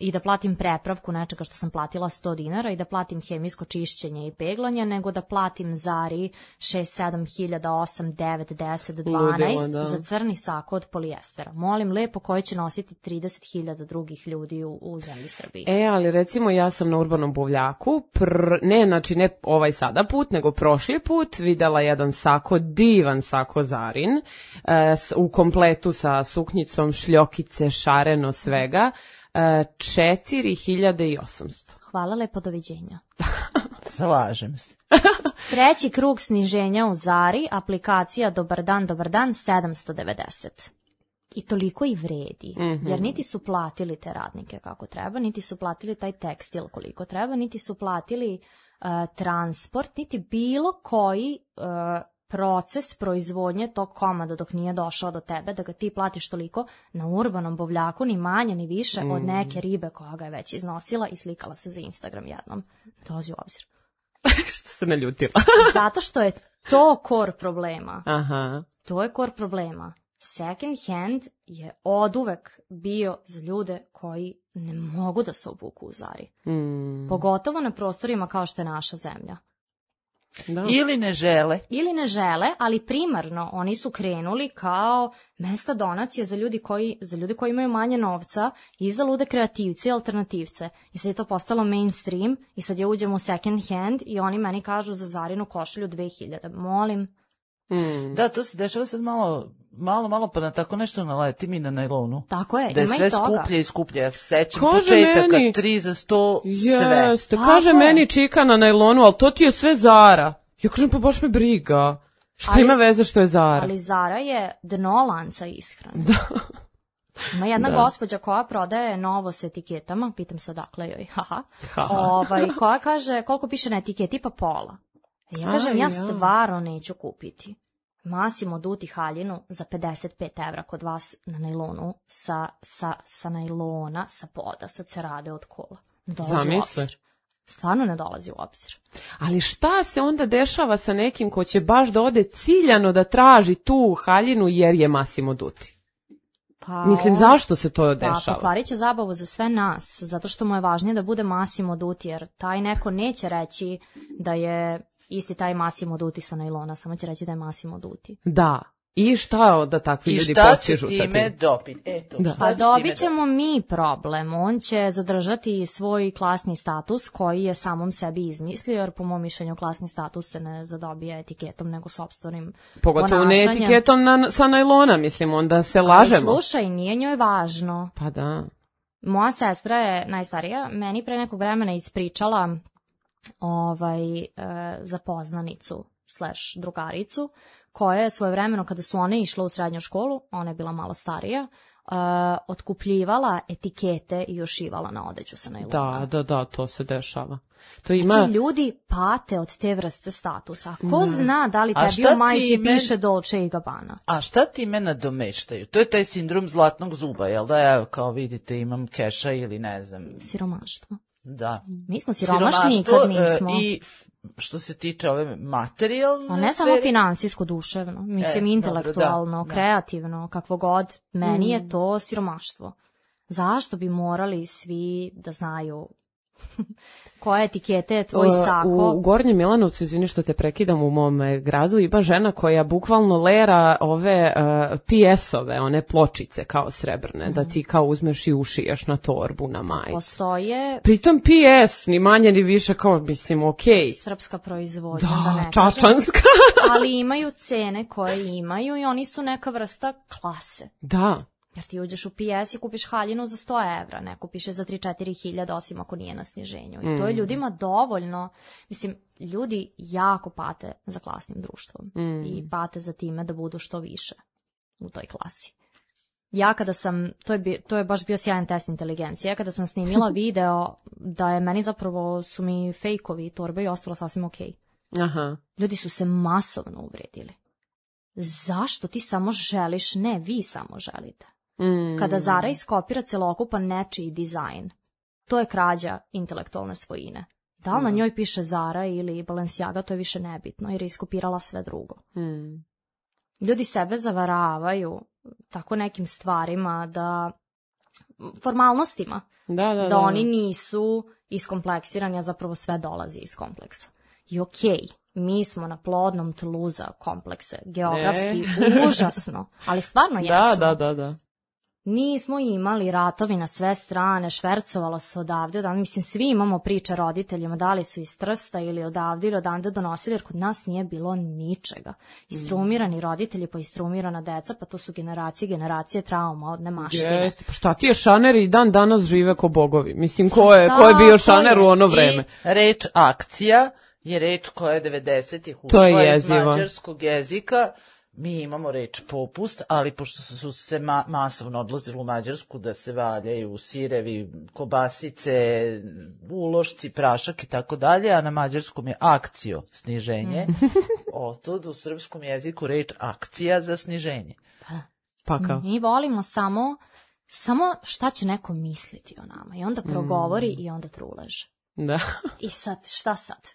I da platim prepravku nečega što sam platila sto dinara i da platim hemijsko čišćenje i peglanje, nego da platim Zari šest, sedam hiljada, osam, devet, deset, dvanaest Ludilo, za crni sako od polijestera. Molim lepo koji će nositi trideset hiljada drugih ljudi u, u zemlji Srbiji. E, ali recimo ja sam na Urbanom buvljaku, pr, ne, znači ne ovaj sada put, nego prošli put videla jedan sako, divan sako Zarin, e, u kompletu sa suknjicom, šljokice, šareno, svega, četiri hiljade osamsto. hvala lepo, doviđenja. Slažem se. Treći krug sniženja u Zari, aplikacija Dobar dan, dobar dan, sedamsto devedeset. I toliko i vredi, mm-hmm. jer niti su platili te radnike kako treba, niti su platili taj tekstil koliko treba, niti su platili uh, transport, niti bilo koji uh, proces proizvodnje tog komada dok nije došao do tebe, da ga ti platiš toliko na urbanom buvljaku, ni manje ni više mm. od neke ribe koja ga je već iznosila i slikala se za Instagram jednom. Dolazi u obzir. Što se naljutila? Zato što je to core problema. Aha. To je core problema. Second hand je oduvek bio za ljude koji ne mogu da se obuku u Zari. Mm. Pogotovo na prostorima kao što je naša zemlja. Da. Ili ne žele. Ili ne žele, ali primarno oni su krenuli kao mesta donacije za ljudi koji, za ljudi koji imaju manje novca i za lude kreativce i alternativce. I sad je to postalo mainstream i sad ja uđem u second hand i oni meni kažu za Zarinu košulju dve hiljade. Molim. Mm. Da, to se dešava sad malo, malo, malo pa na tako nešto naleti mi na najlonu. Tako je, da je ima sve i toga. skuplje i skuplje. Ja se sećam početaka, meni, tri za sto, jeste, sve. Kaže meni čika na najlonu, ali to ti je sve Zara. Ja kažem, pa baš me briga. Šta ali, ima veze što je Zara? Ali Zara je dno lanca ishrane. Da. Ima jedna da. gospođa koja prodaje novo s etiketama, pitam se odakle joj, haha, ovaj, koja kaže koliko piše na etiketi, pa pola. Ja kažem, ja stvarno neću kupiti Massimo Dutti haljinu za pedeset pet evra kod vas na najlonu, sa, sa, sa najlona, sa poda, sa cerade od kola. Zamisli. Stvarno ne dolazi u obzir. Ali šta se onda dešava sa nekim ko će baš da ode ciljano da traži tu haljinu jer je Massimo Dutti? Pa, Mislim, zašto se to dešava? Pa, pokvarit će zabavu za sve nas, zato što mu je važnije da bude Massimo Dutti, jer taj neko neće reći da je isti taj Massimo Dutti sa najlona, samo će reći da je Massimo Dutti. Da. I šta da takvi I ljudi postižu sa tim? I šta će time dobiti? Eto, da. Pa dobit ćemo mi problem. On će zadržati svoj klasni status koji je samom sebi izmislio, jer po mom mišljenju klasni status se ne zadobije etiketom, nego sopstvenim Pogotovo ponašanjem. ne etiketom na, sa najlona, mislim, onda se lažemo. Ali slušaj, nije njoj važno. Pa da. Moja sestra je najstarija, meni pre nekog vremena ispričala ovaj, e, za poznanicu slash drugaricu, koja je svojevremeno, kada su one išle u srednju školu, ona je bila malo starija, uh, otkupljivala etikete i ušivala na odeću sa najlona. Da, da, da, to se dešava. To ima... Znači, ljudi pate od te vrste statusa. Ko mm. zna da li tebi u majici men... piše Dolce i Gabbana? A šta ti me nadomeštaju? To je taj sindrom zlatnog zuba, jel da? Evo, kao vidite, imam keša ili ne znam. Siromaštvo. Da. Mi smo siromašni kad nismo. I što se tiče ove materijalne A ne samo finansijsko, duševno, mislim e, intelektualno, dobro, da, kreativno, kakvo god, meni mm. je to siromaštvo. Zašto bi morali svi da znaju koje etikete je tvoj sako? U, u Gornjem Milanovcu, izvini što te prekidam, u mom gradu ima žena koja bukvalno lera ove uh, P S-ove, one pločice kao srebrne, mm. da ti kao uzmeš i ušiješ na torbu, na majicu. Postoje... Pritom P S, ni manje ni više, kao mislim, okej. Okay. Srpska proizvodnja, da, da ne čačanska. Ali imaju cene koje imaju i oni su neka vrsta klase. Da. Jer ti uđeš u P S i kupiš haljinu za sto evra, ne kupiš je za tri četiri hiljade, osim ako nije na sniženju. I to je ljudima dovoljno. Mislim, ljudi jako pate za klasnim društvom mm. i pate za time da budu što više u toj klasi. Ja kada sam, to je, bi, to je baš bio sjajan test inteligencije, kada sam snimila video da je meni zapravo su mi fejkovi torbe i ostalo sasvim okej. Aha. Ljudi su se masovno uvredili. Zašto ti samo želiš? Ne, vi samo želite. Mm. Kada Zara iskopira celokupan nečiji dizajn, to je krađa intelektualne svojine. Da li mm. na njoj piše Zara ili Balenciaga, to je više nebitno, jer je iskopirala sve drugo. Mm. Ljudi sebe zavaravaju tako nekim stvarima, da formalnostima, da, da, da, da oni nisu iskompleksirani, a zapravo sve dolazi iz kompleksa. I okej, okay, mi smo na plodnom tlu za komplekse, geografski e. užasno, ali stvarno jesmo. Da, da, da, da. Nismo imali ratovi na sve strane, švercovalo se odavde, odavde. Mislim, svi imamo priče roditeljima, da li su iz Trsta ili odavde ili odavde donosili, jer kod nas nije bilo ničega. Istrumirani roditelji, pa istrumirana deca, pa to su generacije, generacije trauma od nemaštine. Jeste, pa šta ti je šaneri i dan danas žive ko bogovi? Mislim, ko je, ko je bio šaner u ono vreme? I reč akcija je reč koja je devedesetih ušla iz mađarskog jezika. Mi imamo reč popust, ali pošto su se ma masovno odlazili u Mađarsku da se valjaju sirevi, kobasice, ulošci, prašak i tako dalje, a na mađarskom je akcio, sniženje, otud u srpskom jeziku reč akcija za sniženje. Pa kao? Mi volimo samo, samo šta će neko misliti o nama i onda progovori mm. i onda truleže. Da. I sad, šta sad?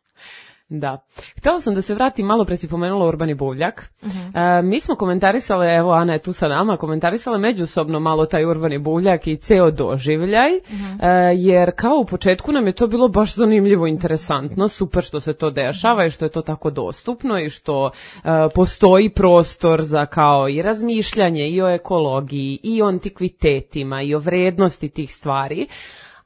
Da. Htela sam da se vratim, malo pre si pomenula Urbani Buvljak. Uh-huh. E, mi smo komentarisale, evo Ana je tu sa nama, komentarisale međusobno malo taj Urbani Buvljak i ceo doživljaj, uh-huh. e, jer kao u početku nam je to bilo baš zanimljivo, interesantno, super što se to dešava i što je to tako dostupno i što e, postoji prostor za kao i razmišljanje i o ekologiji i o antikvitetima i o vrednosti tih stvari.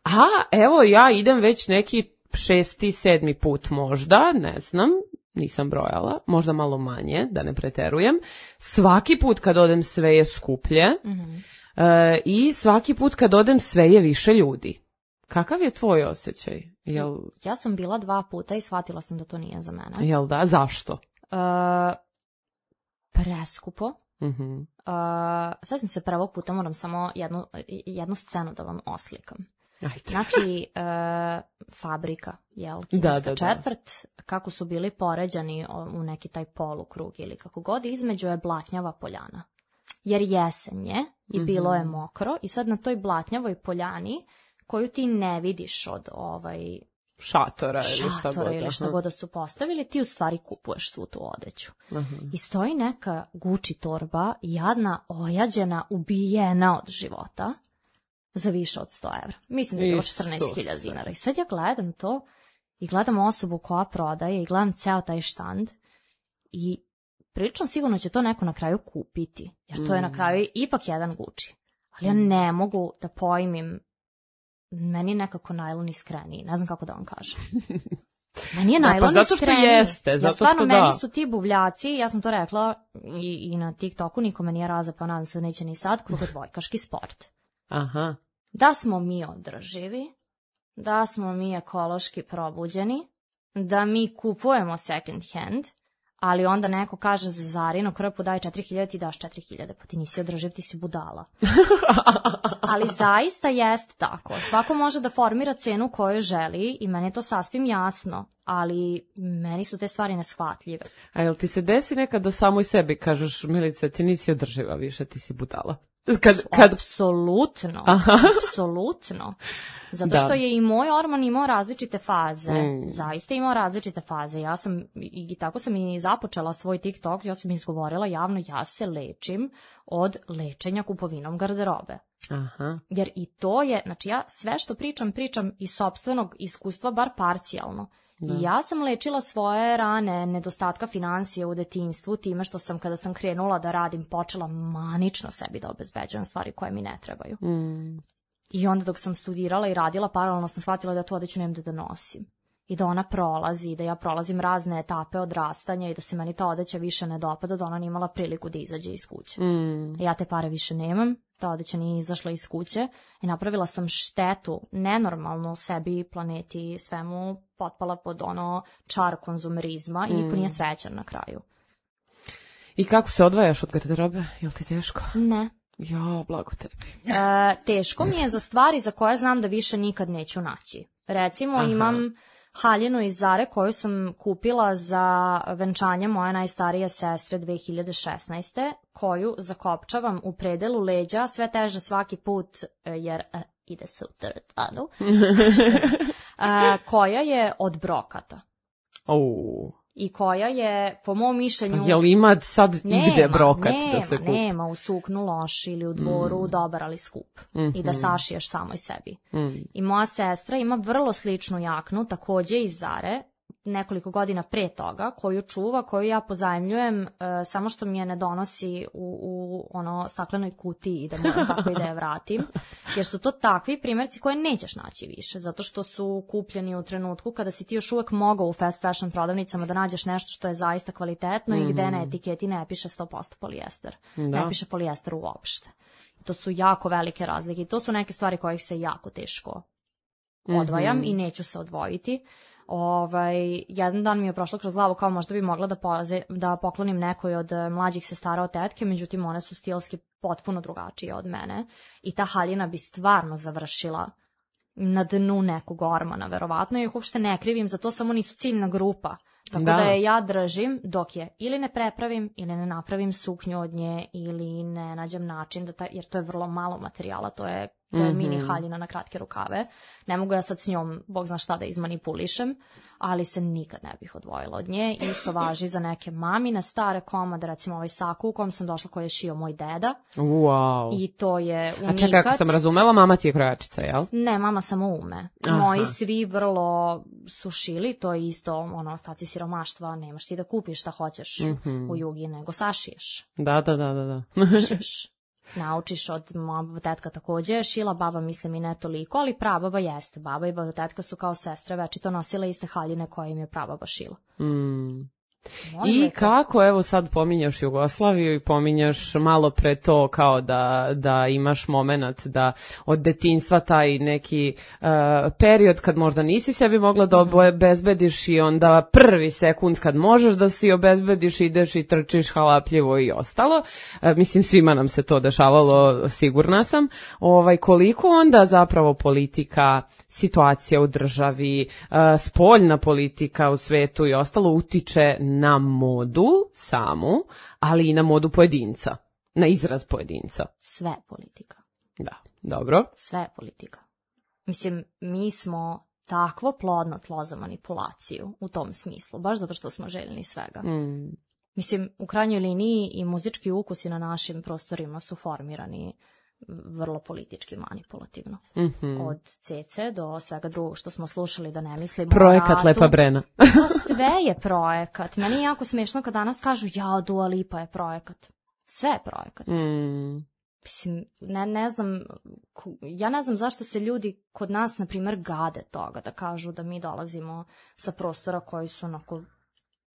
A evo ja idem već neki šesti, sedmi put možda, ne znam, nisam brojala, možda malo manje, da ne preterujem. Svaki put kad odem sve je skuplje mm-hmm. e, i svaki put kad odem sve je više ljudi. Kakav je tvoj osjećaj? Jel... Ja sam bila dva puta i shvatila sam da to nije za mene. Jel da? Zašto? E, preskupo. Mm-hmm. E, sad sam se prvog puta, moram samo jednu, jednu scenu da vam oslikam. Ajde. Znači, e, fabrika, jel, kineska da, da, četvrt, da. Kako su bili poređani u neki taj polukrug ili kako god, između je blatnjava poljana. Jer jesen je i bilo je mokro i sad na toj blatnjavoj poljani, koju ti ne vidiš od ovaj... šatora, ili šta šatora god, ili šta god da su postavili, ti u stvari kupuješ svu tu odeću. Aha. I stoji neka Gucci torba, jadna, ojađena, ubijena od života, za više od sto evra. Mislim da je bilo četrnaest hiljada dinara. I sad ja gledam to i gledam osobu koja prodaje i gledam ceo taj štand i prilično sigurno će to neko na kraju kupiti. Jer to je na kraju ipak jedan Gucci. Ali ja ne mogu da pojmim, meni je nekako najlon iskreniji. Ne znam kako da vam kažem. Meni je najlon da, pa zato što jeste, zato ja stvarno, što da. Meni su ti buvljaci, ja sam to rekla i, i na TikToku, niko me nije razapao, nadam se da neće ni sad, krugodvojkaški sport. Aha. Da smo mi održivi, da smo mi ekološki probuđeni, da mi kupujemo second hand, ali onda neko kaže za Zarinu krpu daj četiri hiljade, ti daš četiri hiljade, pa ti nisi održiv, ti si budala. Ali zaista jest tako. Svako može da formira cenu koju želi i meni je to sasvim jasno, ali meni su te stvari neshvatljive. A jel ti se desi nekad da samoj sebi kažeš, Milice, ti nisi održiva više, ti si budala? Kad, kad... Apsolutno, apsolutno. Zato što da. Je i moj orman imao različite faze, mm. zaista imao različite faze. Ja sam, i tako sam i započela svoj TikTok, ja sam izgovorila javno, ja se lečim od lečenja kupovinom garderobe. Aha. Jer i to je, znači ja sve što pričam, pričam iz sopstvenog iskustva, bar parcijalno. Da. I ja sam lečila svoje rane nedostatka financije u detinjstvu time što sam, kada sam krenula da radim, počela manično sebi da obezbeđujem stvari koje mi ne trebaju. Mm. I onda dok sam studirala i radila, paralelno sam shvatila da tu odeću nemam da nosim. I da ona prolazi, da ja prolazim razne etape odrastanja i da se meni ta odeća više ne dopada, da ona nije imala priliku da izađe iz kuće. Mm. Ja te pare više nemam, ta odeća nije izašla iz kuće i napravila sam štetu, nenormalno sebi, planeti, svemu, potpala pod ono čar konzumerizma mm. i niko nije srećan na kraju. I kako se odvajaš od garderobe? Je li ti teško? Ne. Ja, blago tebi. E, teško mi je za stvari za koje znam da više nikad neću naći. Recimo, aha, imam haljinu iz Zare koju sam kupila za venčanje moje najstarije sestre dve hiljade šesnaeste. koju zakopčavam u predelu leđa, sve teže svaki put jer uh, ide se u teretanu, uh, koja je od brokata. Oh. I koja je, po mom mišljenju... Pa jel ima sad igde brokat nema, da se kupi? Nema, u suknu loš ili u dvoru mm. dobar, ali skup. Mm-hmm. I da sašiješ samoj sebi. Mm. I moja sestra ima vrlo sličnu jaknu, takođe iz Zare. nekoliko godina pre toga, koju čuva, koju ja pozajmljujem, uh, samo što mi je ne donosi u, u ono staklenoj kutiji da moram tako i da je vratim, jer su to takvi primjerci koje nećeš naći više, zato što su kupljeni u trenutku kada si ti još uvek mogao u fast fashion prodavnicama da nađeš nešto što je zaista kvalitetno mm-hmm. i gde na etiketi ne piše sto posto polijester, da. Ne piše polijester uopšte. To su jako velike razlike i to su neke stvari kojih se jako teško odvajam mm-hmm. i neću se odvojiti. Ovaj, jedan dan mi je prošlo kroz glavu kao možda bi mogla da, poze, da poklonim nekoj od mlađih sestara od tetke, međutim one su stilski potpuno drugačije od mene i ta haljina bi stvarno završila na dnu nekog ormana, verovatno, i ih uopšte ne krivim, za to samo nisu ciljna grupa. Tako da. da je ja držim dok je ili ne prepravim ili ne napravim suknju od nje ili ne nađem način, da taj, jer to je vrlo malo materijala, to je, to je mm-hmm. mini haljina na kratke rukave. Ne mogu ja sad s njom, bog zna šta, da izmanipulišem, ali se nikad ne bih odvojila od nje. Isto važi za neke mamine stare komade, recimo ovaj saku u kom sam došla koji je šio moj deda. Wow. I to je unikat. A čekaj, kako sam razumela, mama ti je krojačica, jel? Ne, mama samo ume. Aha. Moji svi vrlo su šili, to je isto ono, ostaci siromaštva, nemaš ti da kupiš šta hoćeš mm-hmm. u Jugi, nego sašiješ. Da, da, da, da. da. Šiš. Naučiš od moja tetka takođe šila, baba mislim i ne toliko, ali prababa jeste. Baba i baba tetka su kao sestre, večito nosile iste haljine koje im je prababa šila. Mm. I neko... kako, evo sad pominjaš Jugoslaviju i pominjaš malo pre to kao da, da imaš moment da od detinjstva taj neki uh, period kad možda nisi sebi mogla da obezbediš i onda prvi sekund kad možeš da si obezbediš, ideš i trčiš halapljivo i ostalo. Uh, mislim, svima nam se to dešavalo, sigurna sam. Ovaj, koliko onda zapravo politika, situacija u državi, uh, spoljna politika u svetu i ostalo utiče na modu samu, ali i na modu pojedinca, na izraz pojedinca. Sve politika. Da, dobro. Sve politika. Mislim, mi smo takvo plodno tlo za manipulaciju u tom smislu, baš zato što smo željni svega. Mm. Mislim, u krajnjoj liniji i muzički ukusi na našim prostorima su formirani vrlo politički manipulativno. Mm-hmm. Od cece do svega drugog što smo slušali, da ne mislimo projekat o ratu. Lepa Brena. Pa sve je projekat. Meni je jako smiješno kad danas kažu ja, Dua Lipa je projekat. Sve je projekat. Mm. Mislim, ne, ne znam, ja ne znam zašto se ljudi kod nas, na primjer, gade toga da kažu da mi dolazimo sa prostora koji su onako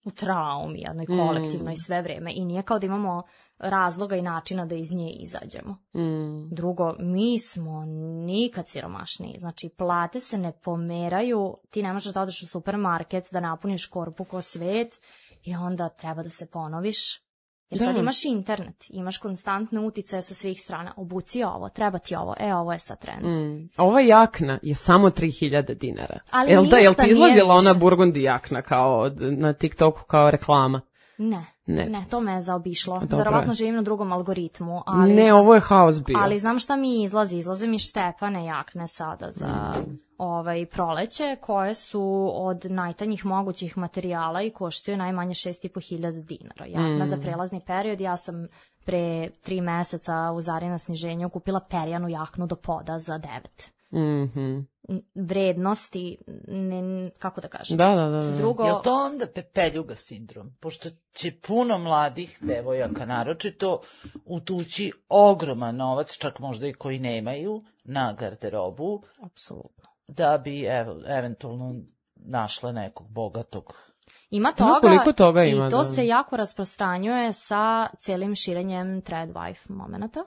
u traumi jednoj kolektivnoj mm. sve vreme i nije kao da imamo razloga i načina da iz nje izađemo. Mm. Drugo, mi smo nikad siromašniji. Znači, plate se ne pomeraju, ti ne možeš da odeš u supermarket, da napuniš korpu ko svet i onda treba da se ponoviš. Jer da. Sad imaš internet, imaš konstantne uticaje sa svih strana. Obuci ovo, treba ti ovo, e, ovo je sad trend. Mm. Ova jakna je samo tri hiljade dinara. Ali jel da, jel ti izlazila ona burgundi jakna kao na TikToku kao reklama? Ne, ne, ne, to me je zaobišlo. Verovatno živim na drugom algoritmu. Ali ne, znam, ovo je haos bio. Ali znam šta mi izlazi. Izlaze mi Štefane jakne sada za mm. ovaj proleće, koje su od najtanjih mogućih materijala i koštaju najmanje šest i po hiljada dinara. Jakna mm. za prelazni period. Ja sam pre tri meseca u Zarina sniženju kupila perjanu jaknu do poda za devet. Mm-hmm. Vrednosti, ne, kako da kažem. Da, da, da. Drugo... Je li to onda pepeljuga sindrom? Pošto će puno mladih devojaka naročito utući ogroman novac, čak možda i koji nemaju, na garderobu. Apsolutno. Da bi evo, eventualno našle nekog bogatog. Ima toga, koliko toga ima, i to da. Se jako rasprostranjuje sa celim širenjem thread wife momenata.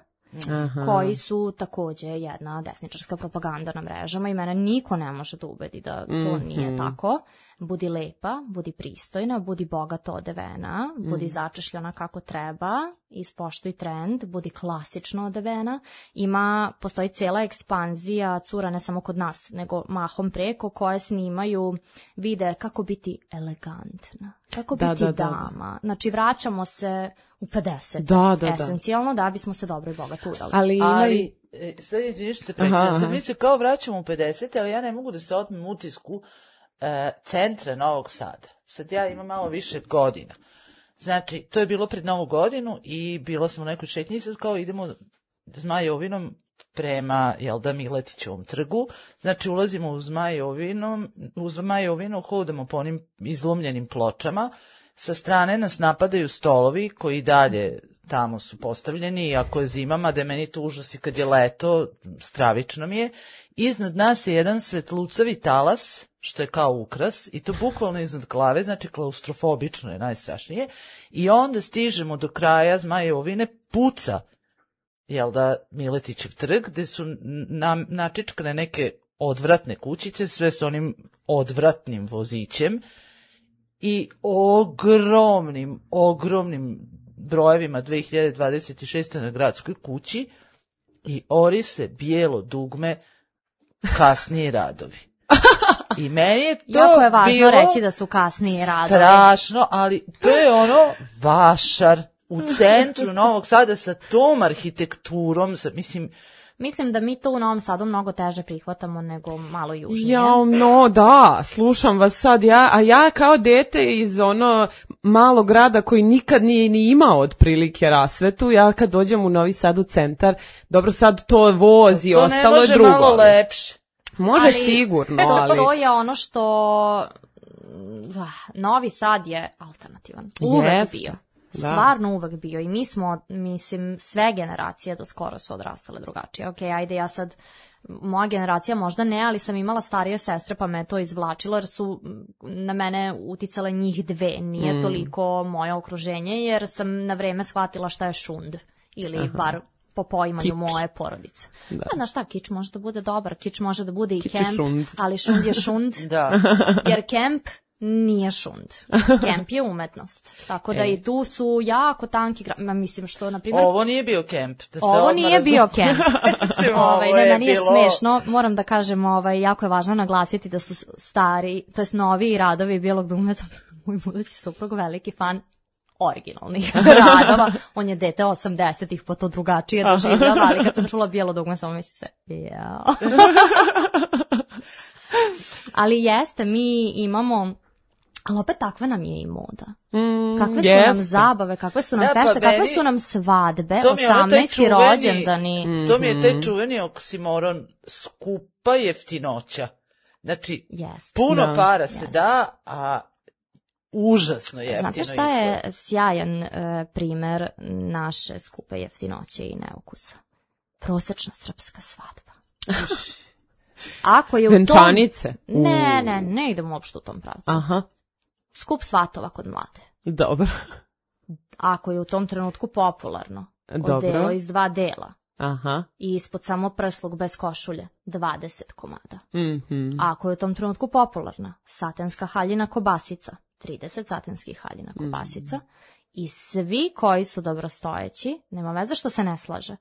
Aha. Koji su takođe jedna desničarska propaganda na mrežama i mene niko ne može da ubedi da to mm-hmm. nije tako. Budi lepa, budi pristojna, budi bogato odevena, budi mm. začešljena kako treba, ispoštuj trend, budi klasično odevena. Ima, postoji cela ekspanzija cura ne samo kod nas, nego mahom preko, koje snimaju vide kako biti elegantna, kako da, biti da, dama. Da. Znači vraćamo se u pedeset da, da, esencijalno da. da bismo se dobro i bogato udali. Ali, ali e, sad izviniš se prekida, sad mi se kao vraćamo u pedeset, ali ja ne mogu da se otmem utisku e, centra Novog Sada. Sad ja imam malo više godina. Znači, to je bilo pred Novu godinu i bila sam u nekoj šetnji i sad kao idemo Zmajovinom prema, jel da, Miletićevom trgu. Znači, ulazimo u Zmajovinu, u Zmajovinu hodamo po onim izlomljenim pločama. Sa strane nas napadaju stolovi koji dalje tamo su postavljeni, i ako je zima, mada je meni to užas i kad je leto, stravično mi je. Iznad nas je jedan svetlucavi talas, što je kao ukras, i to bukvalno iznad glave, znači klaustrofobično je najstrašnije. I onda stižemo do kraja Zmajovine, puca, jel da, Miletićev trg, gde su na, načičkane neke odvratne kućice, sve s onim odvratnim vozićem i ogromnim, ogromnim brojevima dve hiljade dvadeset šeste. na gradskoj kući, i ori se bijelo dugme kasniji radovi. I meni je to jako je važno bilo reći da su kasniji radovi. strašno, ali to je ono vašar u centru Novog Sada sa tom arhitekturom, sa, mislim... Mislim da mi to u Novom Sadu mnogo teže prihvatamo nego malo južnije. Ja, no da, slušam vas sad, ja, a ja kao dete iz ono malog grada koji nikad nije ni imao otprilike rasvetu, ja kad dođem u Novi Sad u centar, dobro sad to vozi, to ostalo je drugo. To ne može malo lepše. Može ali, sigurno, to, ali... To je ono što... Novi Sad je alternativan. Uvek Jeste. bio. Da. Stvarno uvek bio. I mi smo, mislim, sve generacije do skoro su odrastale drugačije. Ok, ajde, ja sad, moja generacija možda ne, ali sam imala starije sestre pa me to izvlačilo, jer su na mene uticale njih dve. Nije mm. toliko moje okruženje, jer sam na vreme shvatila šta je šund. Ili Aha. bar po poimanju kič. Moje porodice. Da. A znaš šta, kič može da bude dobar, kič može da bude i kič kemp, šund. Ali šund je šund. Da. Jer kemp nije šund. Kemp je umetnost. Tako da e. i tu su jako tanki gra... Ma, mislim što, na primjer... Ovo nije bio kemp. Da se ovo nije razum... bio kemp. ovaj, ne, meni je bilo... smešno. Moram da kažem, ovaj, jako je važno naglasiti da su stari, to jest novi radovi Bijelog dugmeta, moj budući suprug veliki fan originalnih radova. On je dete osamdesetih, pa to drugačije doživljava, ali kad sam čula Bijelo dugme, samo misli se, ja. Ali jeste, mi imamo... Ali opet takva nam je i moda. Mm, kakve su yes. nam zabave, kakve su nam da, fešte, pa kakve meni, su nam svadbe, osamnaesti čuveni, rođendani. Mm-hmm. To mi je taj čuveni oksimoron, skupa jeftinoća. Znači, yes. puno da. para se yes. da, a užasno jeftino. Znate šta izgleda. Je sjajan uh, primer naše skupe jeftinoće i neukusa? Prosečna srpska svadba. Ako je u Venčanice? Tom... Ne, ne, ne idemo uopšte u tom pravcu. Aha. Skup svatova kod mlade. Dobro. Ako je u tom trenutku popularno, odelo iz dva dela. Aha. I ispod samo prsluk bez košulje, dvadeset komada. Mm-hmm. Ako je u tom trenutku popularna, satenska haljina kobasica, trideset satenskih haljina kobasica. Mm. I svi koji su dobrostojeći, nema veze što se ne slaže,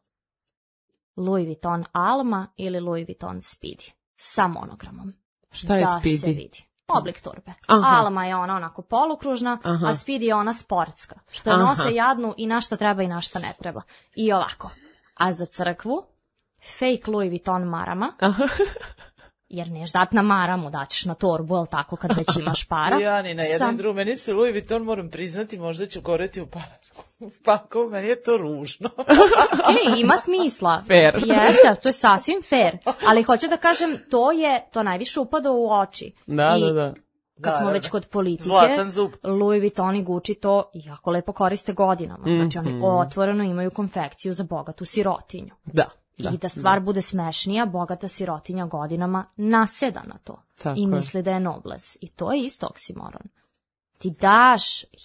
Louis Vuitton Alma ili Louis Vuitton Speedy. Sa monogramom. Šta je da Speedy? Se vidi. Oblik torbe. Aha. Alma je ona onako polukružna, Aha. a Speedy je ona sportska. Što je nose jadnu i na što treba i na što ne treba. I ovako. A za crkvu, fake Louis Vuitton marama. Jer neš dat na maramu, daćeš na torbu, ali tako kad već imaš para. Ja ni na jednom Sam... drugom, meni se Louis Vuitton, moram priznati, možda ću goreti u parku. Paku, meni je to ružno. Ej, ima smisla. Fair. Jeste, to je sasvim fair. Ali hoću da kažem, to je, to najviše upada u oči. Da, I da, da. Kad da, smo da, već kod politike, Louis Vuitton i Gucci to jako lepo koriste godinama. Mm-hmm. Znači oni otvoreno imaju konfekciju za bogatu sirotinju. Da. Da, I da stvar da. bude smešnija, bogata sirotinja godinama naseda na to. Tako i misli je. Da je nobles. I to je isto oksimoron. Ti daš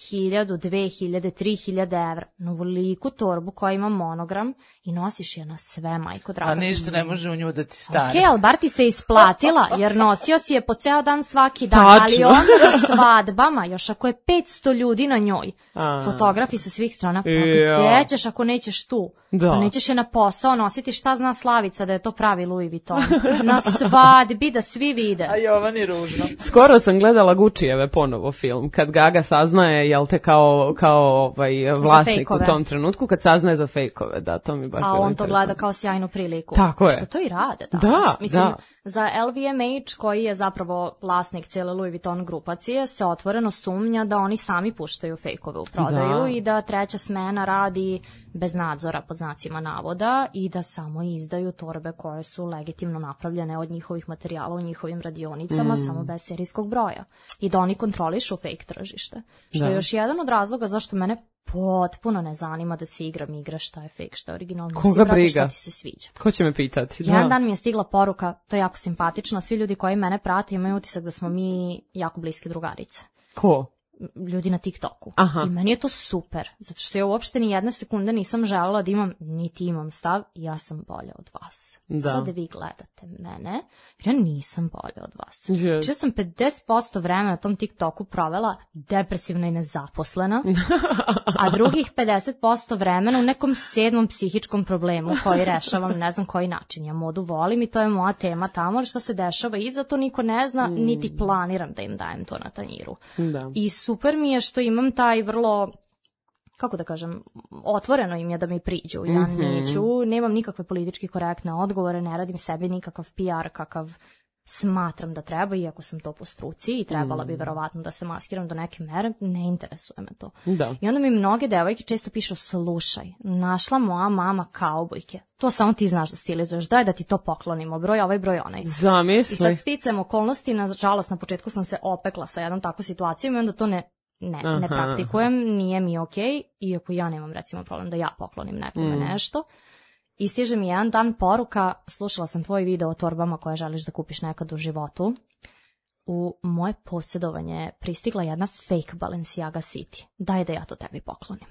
hiljadu, dve hiljade, tri hiljade evra na veliku torbu koja ima monogram i nosiš je na sve, majko draga. A ništa ne može u nju da ti stane. Okej, okay, ali bar ti se isplatila, jer nosio si je po ceo dan svaki dan. Tačno. Ali onda na svadbama, još ako je petsto ljudi na njoj, A. fotografi sa svih strana, pa gdje ćeš ako nećeš tu? Da. Pa nećeš je na posao nositi, šta zna Slavica da je to pravi Louis Vuitton. Na svadbi da svi vide. A Jovan je ružno. Skoro sam gledala Guccijeve ponovo film, kad Gaga saznaje, jel te kao, kao ovaj, vlasnik u tom trenutku, kad saznaje za fejkove, da, to mi baš a bilo on to gleda interesantno. kao sjajnu priliku. Tako je. Što to i rade danas. Da, Mislim, da. za L V M H, koji je zapravo vlasnik cijele Louis Vuitton grupacije, se otvoreno sumnja da oni sami puštaju fejkove u prodaju Da. i da treća smena radi bez nadzora, pod znacima navoda, i da samo izdaju torbe koje su legitimno napravljene od njihovih materijala u njihovim radionicama, Mm. samo bez serijskog broja. I da oni kontrolišu fake tržište. Što Da. je još jedan od razloga zašto mene potpuno ne zanima da se igram igre šta je fake, šta je originalno. Koga Mislim, brate, briga? šta ti se sviđa. Ko će me pitati? Jedan Da. dan mi je stigla poruka, to je jako simpatično, svi ljudi koji mene prate imaju utisak da smo mi jako bliske drugarice. Ko? Ljudi na TikToku. Aha. I meni je to super, zato što ja uopšte ni jedne sekunde nisam želela da imam, niti imam stav, ja sam bolja od vas. Da. Sad vi gledate mene, jer ja nisam bolja od vas. Je. Znači ja sam pedeset posto vremena na tom TikToku provela depresivna i nezaposlena, a drugih pedeset posto vremena u nekom sedmom psihičkom problemu koji rešavam ne znam koji način. Ja modu volim i to je moja tema tamo, ali šta se dešava iza to niko ne zna, Mm. niti planiram da im dajem to na tanjiru. Da. I super mi je što imam taj vrlo, kako da kažem, otvoreno im je da mi priđu. Ja Mhm. neću, nemam nikakve politički korektne odgovore, ne radim sebi nikakav P R kakav smatram da treba, iako sam to po struci i trebala Mm. bi verovatno da se maskiram do neke mere, ne interesuje me to. Da. I onda mi mnoge devojke često pišu, slušaj, našla moja mama kaubojke. To samo ti znaš da stilizuješ, daj da ti to poklonimo, broj ovaj, broj onaj. I Zamisli. sad sticajem okolnosti, nažalost na početku sam se opekla sa jednom takvom situacijom i onda to ne, ne, ne Aha. praktikujem, nije mi okej, iako ja nemam recimo problem da ja poklonim nekome Mm. nešto. I stiže mi jedan dan poruka, slušala sam tvoj video o torbama koje želiš da kupiš nekad u životu. U moje posjedovanje je pristigla jedna fake Balenciaga City. Daj da ja to tebi poklonim.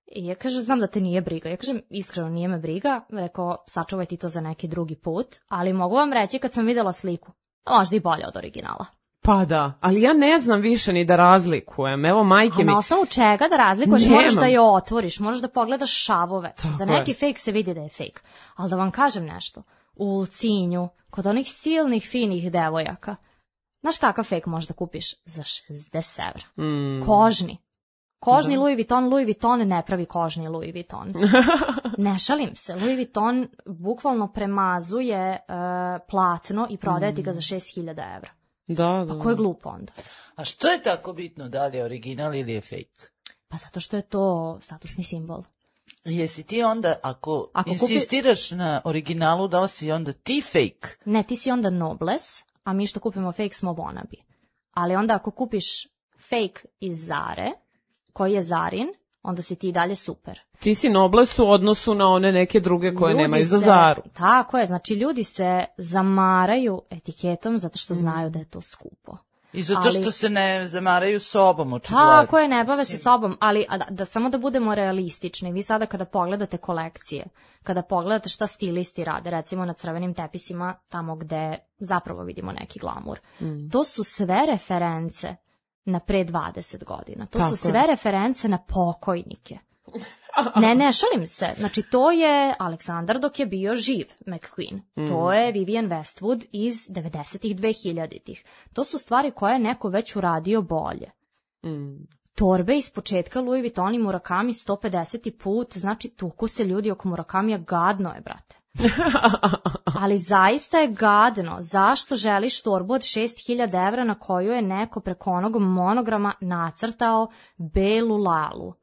I ja kažem, znam da te nije briga. Ja kažem, iskreno nije me briga. Rekao, sačuvaj ti to za neki drugi put. Ali mogu vam reći kad sam vidjela sliku, možda i bolje od originala. Pa da, ali ja ne znam više ni da razlikujem. Evo, majke A mi... na osnovu čega da razlikuješ? Nemam. Moraš da je otvoriš, moraš da pogledaš šavove. Tako Za je. neki fake se vidi da je fake. Ali da vam kažem nešto, u Ulcinju, kod onih silnih finih devojaka, znaš kakav fake možda kupiš? Za šezdeset evra. Mm. Kožni. Kožni Da. Louis Vuitton, Louis Vuitton ne pravi kožni Louis Vuitton. Ne šalim se, Louis Vuitton bukvalno premazuje uh, platno i prodaje ti ga za šest hiljada evra. Da, da. Pa ko je glup onda? A što je tako bitno, da li je original ili je fake? Pa zato što je to statusni simbol. Jesi ti onda, ako, Ako kupi- insistiraš na originalu, da li si onda ti fake? Ne, ti si onda nobles, a mi što kupimo fake smo wannabe. Ali onda ako kupiš fake iz Zare, koji je Zarin, onda si ti i dalje super. Ti si nobles u odnosu na one neke druge koje Ljudi nemaju za se- Zaru. Tako je, znači ljudi se zamaraju etiketom zato što znaju da je to skupo. I zato Ali- što se ne zamaraju sobom, očigledno. Tako je, ne bave se sobom, ali a da, da samo da budemo realistični. Vi sada kada pogledate kolekcije, kada pogledate šta stilisti rade, recimo na crvenim tepisima, tamo gde zapravo vidimo neki glamur, Mm. to su sve reference na pre dvadeset godina. To Tako su je. sve reference na pokojnike. Ne, ne šalim se. Znači, to je Aleksandar dok je bio živ, McQueen. To je Vivienne Westwood iz devedesetih, dvehiljaditih. To su stvari koje je neko već uradio bolje. Mm. Torbe iz početka Louis Vuitton i Murakami sto pedeseti put, znači tuku se ljudi oko Murakamija, gadno je, brate. Ali zaista je gadno. Zašto želiš torbu od šest hiljada evra na koju je neko preko onog monograma nacrtao belu lalu?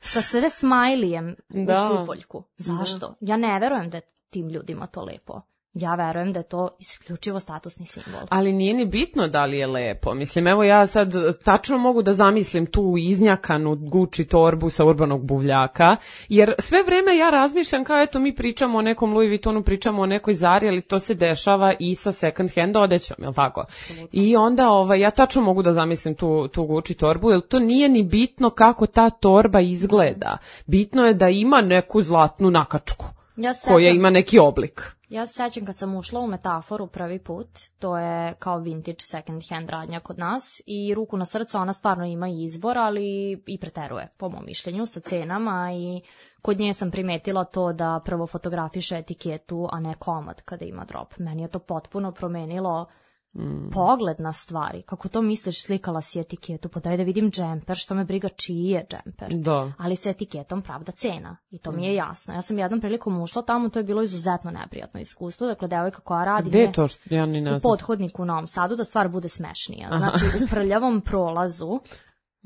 Sa sve smajlijem Da. u kupoljku. Zašto? Ja ne verujem da je tim ljudima to lepo. Ja verujem da je to isključivo statusni simbol. Ali nije ni bitno da li je lepo. Mislim, evo ja sad tačno mogu da zamislim tu iznjakanu Gucci torbu sa urbanog buvljaka, jer sve vreme ja razmišljam kao eto mi pričamo o nekom Louis Vuittonu, pričamo o nekoj Zari, ali to se dešava i sa second hand odećom, jel tako? I onda ovaj, ja tačno mogu da zamislim tu, tu Gucci torbu, jer to nije ni bitno kako ta torba izgleda. Bitno je da ima neku zlatnu nakačku Ja se koja sećam- ima neki oblik. Ja se sećam kad sam ušla u Metaforu prvi put, to je kao vintage second hand radnja kod nas i ruku na srce ona stvarno ima izbor, ali i preteruje, po mom mišljenju, sa cenama i kod nje sam primetila to da prvo fotografiše etiketu, a ne komad kada ima drop. Meni je to potpuno promenilo mm. pogled na stvari. Kako to misliš, slikala si etiketu, pa daj da vidim džemper, što me briga čiji je džemper. Da. Ali sa etiketom pravda cena. I to mi je jasno. Ja sam jednom prilikom ušla tamo, to je bilo izuzetno neprijatno iskustvo. Dakle, devojka koja radi... Gde je to? Ja ni ne znam. U Pothodniku u Novom Sadu, da stvar bude smešnija. Znači, u prljavom prolazu,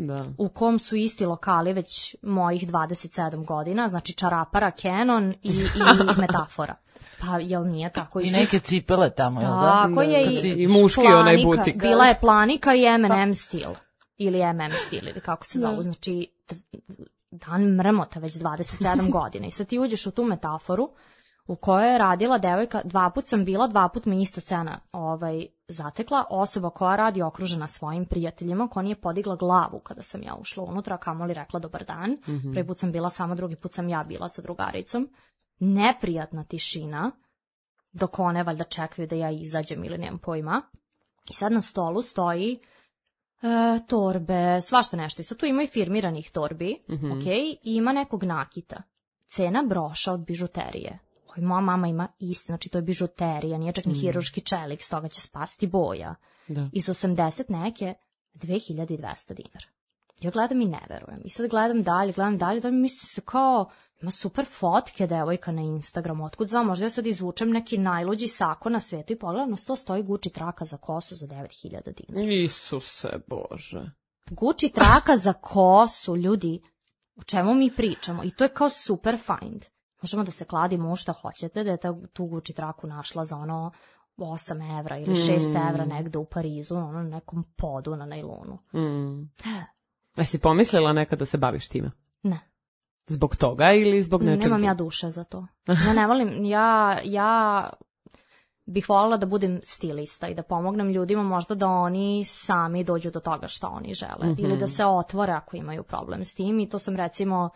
da. U kom su isti lokali već mojih dvadeset sedam godina, znači čarapara, Canon i, i metafora. Pa, jel nije tako? I neke cipele tamo, jel da? Tako je i, i muški planika, onaj butik. Bila je Planika i M and M stil. Ili M and M stil, ili kako se zovu. Znači, dan mrmota već dvadeset sedam godina. I sad ti uđeš u tu metaforu u kojoj je radila devojka, dva put sam bila, dva put me ista scena ovaj, zatekla, osoba koja radi okružena svojim prijateljima, koja nije podigla glavu kada sam ja ušla unutra, kamoli rekla dobar dan. Mm-hmm. Prvi put sam bila sama, drugi put sam ja bila sa drugaricom. Neprijatna tišina, dok one valjda čekaju da ja izađem ili nemam pojma. I sad na stolu stoji e, torbe, svašta nešto. I sad tu ima i firmiranih torbi, mm-hmm. ok, i ima nekog nakita. Cena broša od bižuterije. Oj, moja mama ima isti, znači to je bižuterija, nije čak ni mm. hiruški čelik, stoga će spasti boja. Da. Iz osamdeset neke, dve hiljade dvesta dinara. Ja gledam i ne verujem. I sad gledam dalje, gledam dalje, da mi misli se kao, ima super fotke devojka na Instagramu, otkud znam, možda ja sad izvučem neki najluđi sako na svetu i pogledam, na sto stoji Gucci traka za kosu za devet hiljada dinara. Isuse Bože. Gucci traka za kosu, ljudi, o čemu mi pričamo? I to je kao super find. Možemo da se kladimo u šta hoćete, da je tu Gucci traku našla za ono osam evra ili šest mm. evra negde u Parizu, ono na nekom podu na najlonu. Mm. Jesi pomislila nekad da se baviš time? Ne. Zbog toga ili zbog nečeg? Nemam ja duše za to. Ja ne volim, ja, ja bih voljela da budem stilista i da pomognem ljudima možda da oni sami dođu do toga šta oni žele. Mm-hmm. Ili da se otvore ako imaju problem s tim i to sam recimo...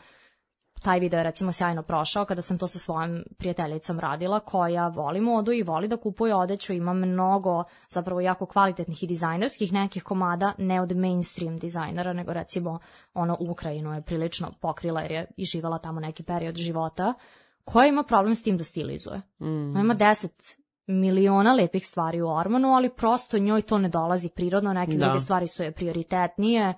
Taj video je recimo sjajno prošao kada sam to sa svojom prijateljicom radila koja voli modu i voli da kupuje odeću, ima mnogo zapravo jako kvalitetnih i dizajnerskih nekih komada, ne od mainstream dizajnera, nego recimo ono Ukrajinu je prilično pokrila jer je i živala tamo neki period života, koja ima problem s tim da stilizuje. Mm. Ima deset miliona lepih stvari u ormanu, ali prosto njoj to ne dolazi prirodno, neke da. druge stvari su je prioritetnije,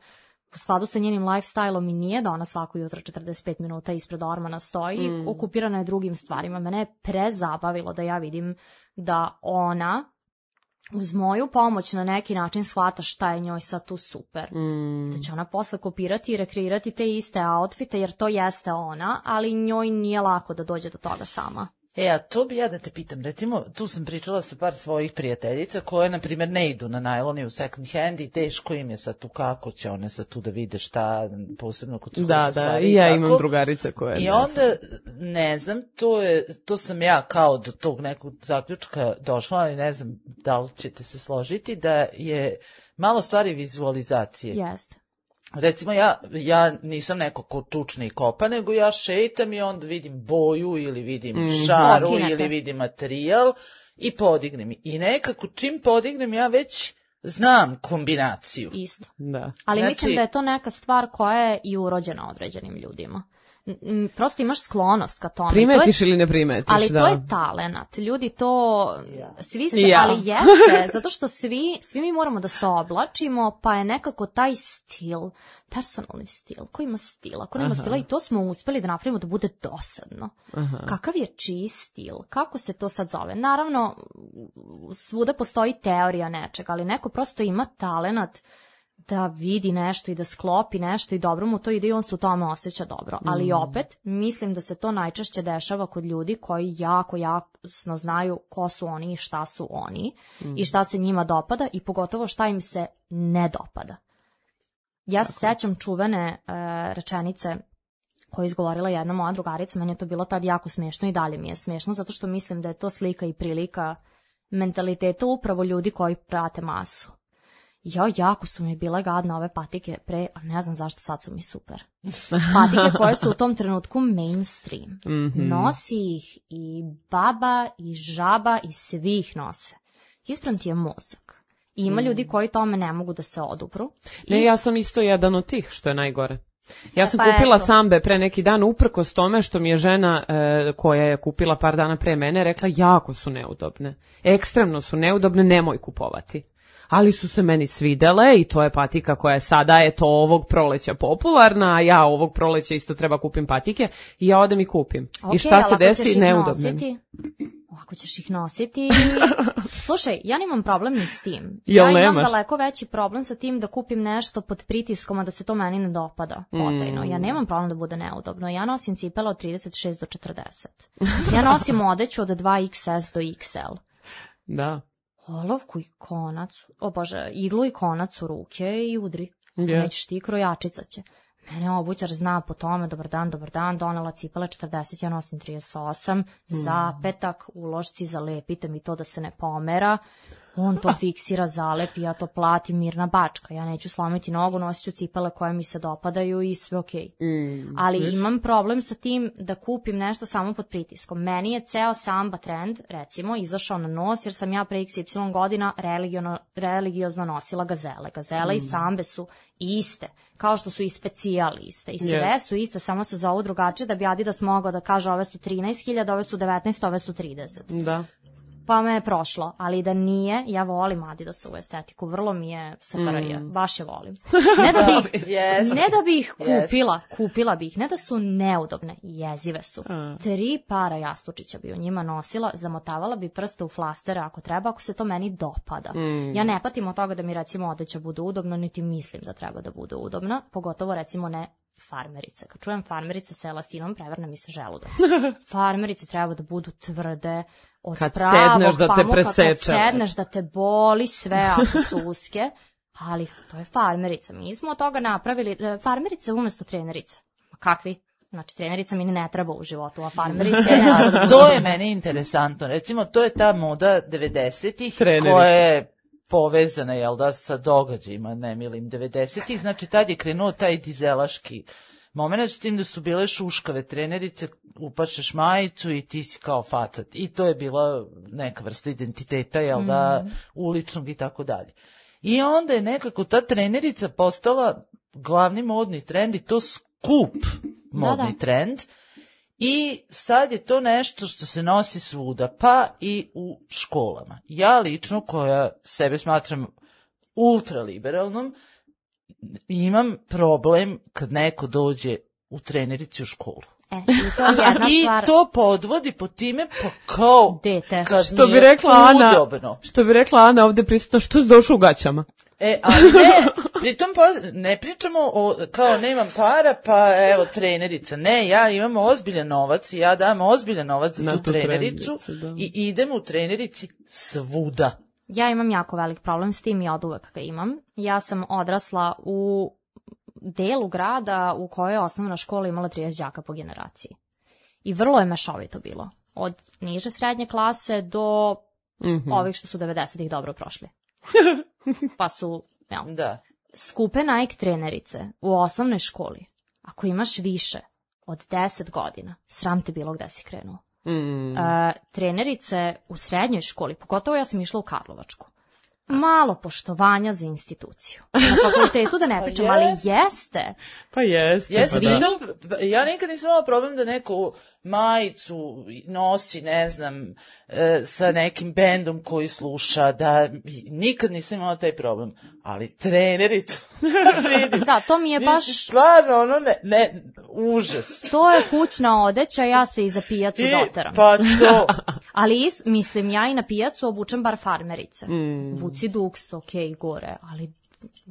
u skladu sa njenim lifestyle-om i nije da ona svako jutro četrdeset pet minuta ispred ormana stoji, mm. okupirana je drugim stvarima. Mene je prezabavilo da ja vidim da ona uz moju pomoć na neki način shvata šta je njoj sad tu super. Mm. Da će ona posle kopirati i rekreirati te iste outfite jer to jeste ona, ali njoj nije lako da dođe do toga sama. E, a to bi ja da te pitam, recimo, tu sam pričala sa par svojih prijateljica koje, na primjer, ne idu na najlon i u second hand i teško im je sad tu kako će one sad tu da vide šta, posebno kod su da, da, i ja imam drugarice koje... I onda, ne znam, to, je, to sam ja kao do tog nekog zaključka došla, ali ne znam da li ćete se složiti, da je malo stvari vizualizacije. Jeste. Recimo, ja, ja nisam neko ko tučne i kopa, nego ja šetam i onda vidim boju ili vidim mm, šaru okay, ili vidim materijal i podignem. I nekako čim podignem ja već znam kombinaciju. Isto. Da. Ali znači, mislim da je to neka stvar koja je i urođena određenim ljudima. Prosto imaš sklonost ka tome. Primetiš to je, ili ne primetiš, ali da. to je talenat. Ljudi to, ja. svi se, ja. ali jeste, zato što svi, svi mi moramo da se oblačimo, pa je nekako taj stil, personalni stil, ko ima stila, ko nema Aha. stila i to smo uspeli da napravimo da bude dosadno. Aha. Kakav je čiji stil, kako se to sad zove? Naravno, svuda postoji teorija nečega, ali neko prosto ima talenat da vidi nešto i da sklopi nešto i dobro mu to ide i on se u tome osjeća dobro. Mm. Ali opet, mislim da se to najčešće dešava kod ljudi koji jako, jasno znaju ko su oni i šta su oni mm. i šta se njima dopada i pogotovo šta im se ne dopada. Ja se sećam čuvene e, rečenice koju je izgovorila jedna moja drugarica, meni je to bilo tad jako smiješno i dalje mi je smiješno, zato što mislim da je to slika i prilika mentaliteta upravo ljudi koji prate masu. Ja, jako su mi bile gadne ove patike pre, a ne znam zašto sad su mi super. Patike koje su u tom trenutku mainstream. Mm-hmm. Nosi ih i baba i žaba i svi ih nose. Ispran ti je mozak. I ima mm. ljudi koji tome ne mogu da se odupru. Ne, I... ja sam isto jedan od tih, što je najgore. Ja sam Pa kupila eto. sambe pre neki dan uprkos tome što mi je žena e, koja je kupila par dana pre mene rekla jako su neudobne. Ekstremno su neudobne, nemoj kupovati. Ali su se meni svidele i to je patika koja je sada eto ovog proleća popularna, a ja ovog proleća isto treba kupim patike i ja odem i kupim. Okay, I šta se ali ako ćeš desi? ih Neudobne. nositi, ako ćeš ih nositi... Slušaj, ja nemam problem ni s tim. Jel ja imam nemaš? daleko veći problem sa tim da kupim nešto pod pritiskom, a da se to meni ne dopada potajno. Mm. Ja nemam problem da bude neudobno. Ja nosim cipele od trideset šest do četrdeset. Ja nosim odeću od dva iks es do iks el. Da. Olovku i konac, o bože, iglu i konac u ruke i udri. Yeah. Nećeš ti, krojačica će. Mene obućar zna po tome, dobar dan, dobar dan, donela cipele četrdeset, ja nosim trideset osam, mm. zapetak, ulošci, zalepite mi to da se ne pomera, on to fiksira, zalepi, ja to platim, mirna bačka, ja neću slomiti nogu, nosit ću cipele koje mi se dopadaju i sve okej. Okay. Mm. Ali Viš? imam problem sa tim da kupim nešto samo pod pritiskom. Meni je ceo samba trend, recimo, izašao na nos, jer sam ja pre iks ipsilon godina religiono, religiozno nosila gazele. Gazele mm. i sambe su iste, kao što su i specijal iste. I sve yes. su iste, samo se zovu drugačije, da bi Adidas mogao da kaže ove su trinaest hiljada, ove su devetnaest, ove su trideset. Da. Pa me je prošlo, ali da nije, ja volim Adidasovu estetiku, vrlo mi je saparija, mm. baš je volim. Ne da bih, yes. ne da bih ih kupila, yes. kupila bih, ne da su neudobne, jezive su. Mm. Tri para jastučića bi u njima nosila, zamotavala bi prste u flastere ako treba, ako se to meni dopada. Mm. Ja ne patim od toga da mi recimo odeća bude udobno, niti mislim da treba da bude udobna, pogotovo recimo ne farmerice. Kad čujem farmerice sa elastinom, prevrne mi se želudac. Farmerice treba da budu tvrde, od kad pravog sedneš da te pamuka, preseče. Kad sedneš da te boli sve ako su uske, ali to je farmerica. Mi smo od toga napravili, farmerice umesto trenerice. Kakvi? Znači, trenerica mi ne treba u životu, a farmerice... A to je meni interesantno. Recimo, to je ta moda devedesetih koja je povezana, jel da, sa događajima nemilim devedesetih. Znači, tad je krenuo taj dizelaški moment, s tim da su bile šuškave trenerice, upašeš majicu i ti si kao facat. I to je bila neka vrsta identiteta, jel da, mm. uličnog i tako dalje. I onda je nekako ta trenerica postala glavni modni trend i to skup modni da, da. trend. I sad je to nešto što se nosi svuda, pa i u školama. Ja lično, koja sebe smatram ultraliberalnom, imam problem kad neko dođe u trenerici u školu. E, i to je jedna I stvar. to podvodi po time pa kao dete. Kad što bi rekla Ana, udobno. Što bi rekla Ana ovde prisutno, što si došao u gaćama? E, ali ne, pritom ne pričamo o, kao nemam para, pa evo trenerica. Ne, ja imam ozbiljan novac i ja dam ozbiljan novac za tu, tu trenericu i idem u trenerici svuda. Ja imam jako velik problem s tim i od uvek ga imam. Ja sam odrasla u delu grada u kojoj je osnovna škola imala trideset đaka po generaciji. I vrlo je mešovito bilo. Od niže srednje klase do mm-hmm. ovih što su devedesetih dobro prošli. Pa su, jel, da. skupe Nike trenerice u osnovnoj školi. Ako imaš više od deset godina, sram te bilo gde si krenuo. Mm. Uh, trenerice u srednjoj školi, pogotovo ja sam išla u Karlovačku. Malo poštovanja za instituciju. Na fakultetu da ne pričam, ali jeste. Pa jeste. Jeste, pa da. Ja nikad nisam imala problem da neku majicu nosi, ne znam, e, sa nekim bendom koji sluša, da nikad nisam imala taj problem. Ali trenericu, vidim. Da, to mi je baš... Nisi stvarno, ono, ne, ne, užas. To je kućna odeća, ja se i za pijacu I, doteram. Pa to. Ali, mislim, ja i na pijacu obučem bar farmerice. Mm. Vuci duks, okej, okay, gore, ali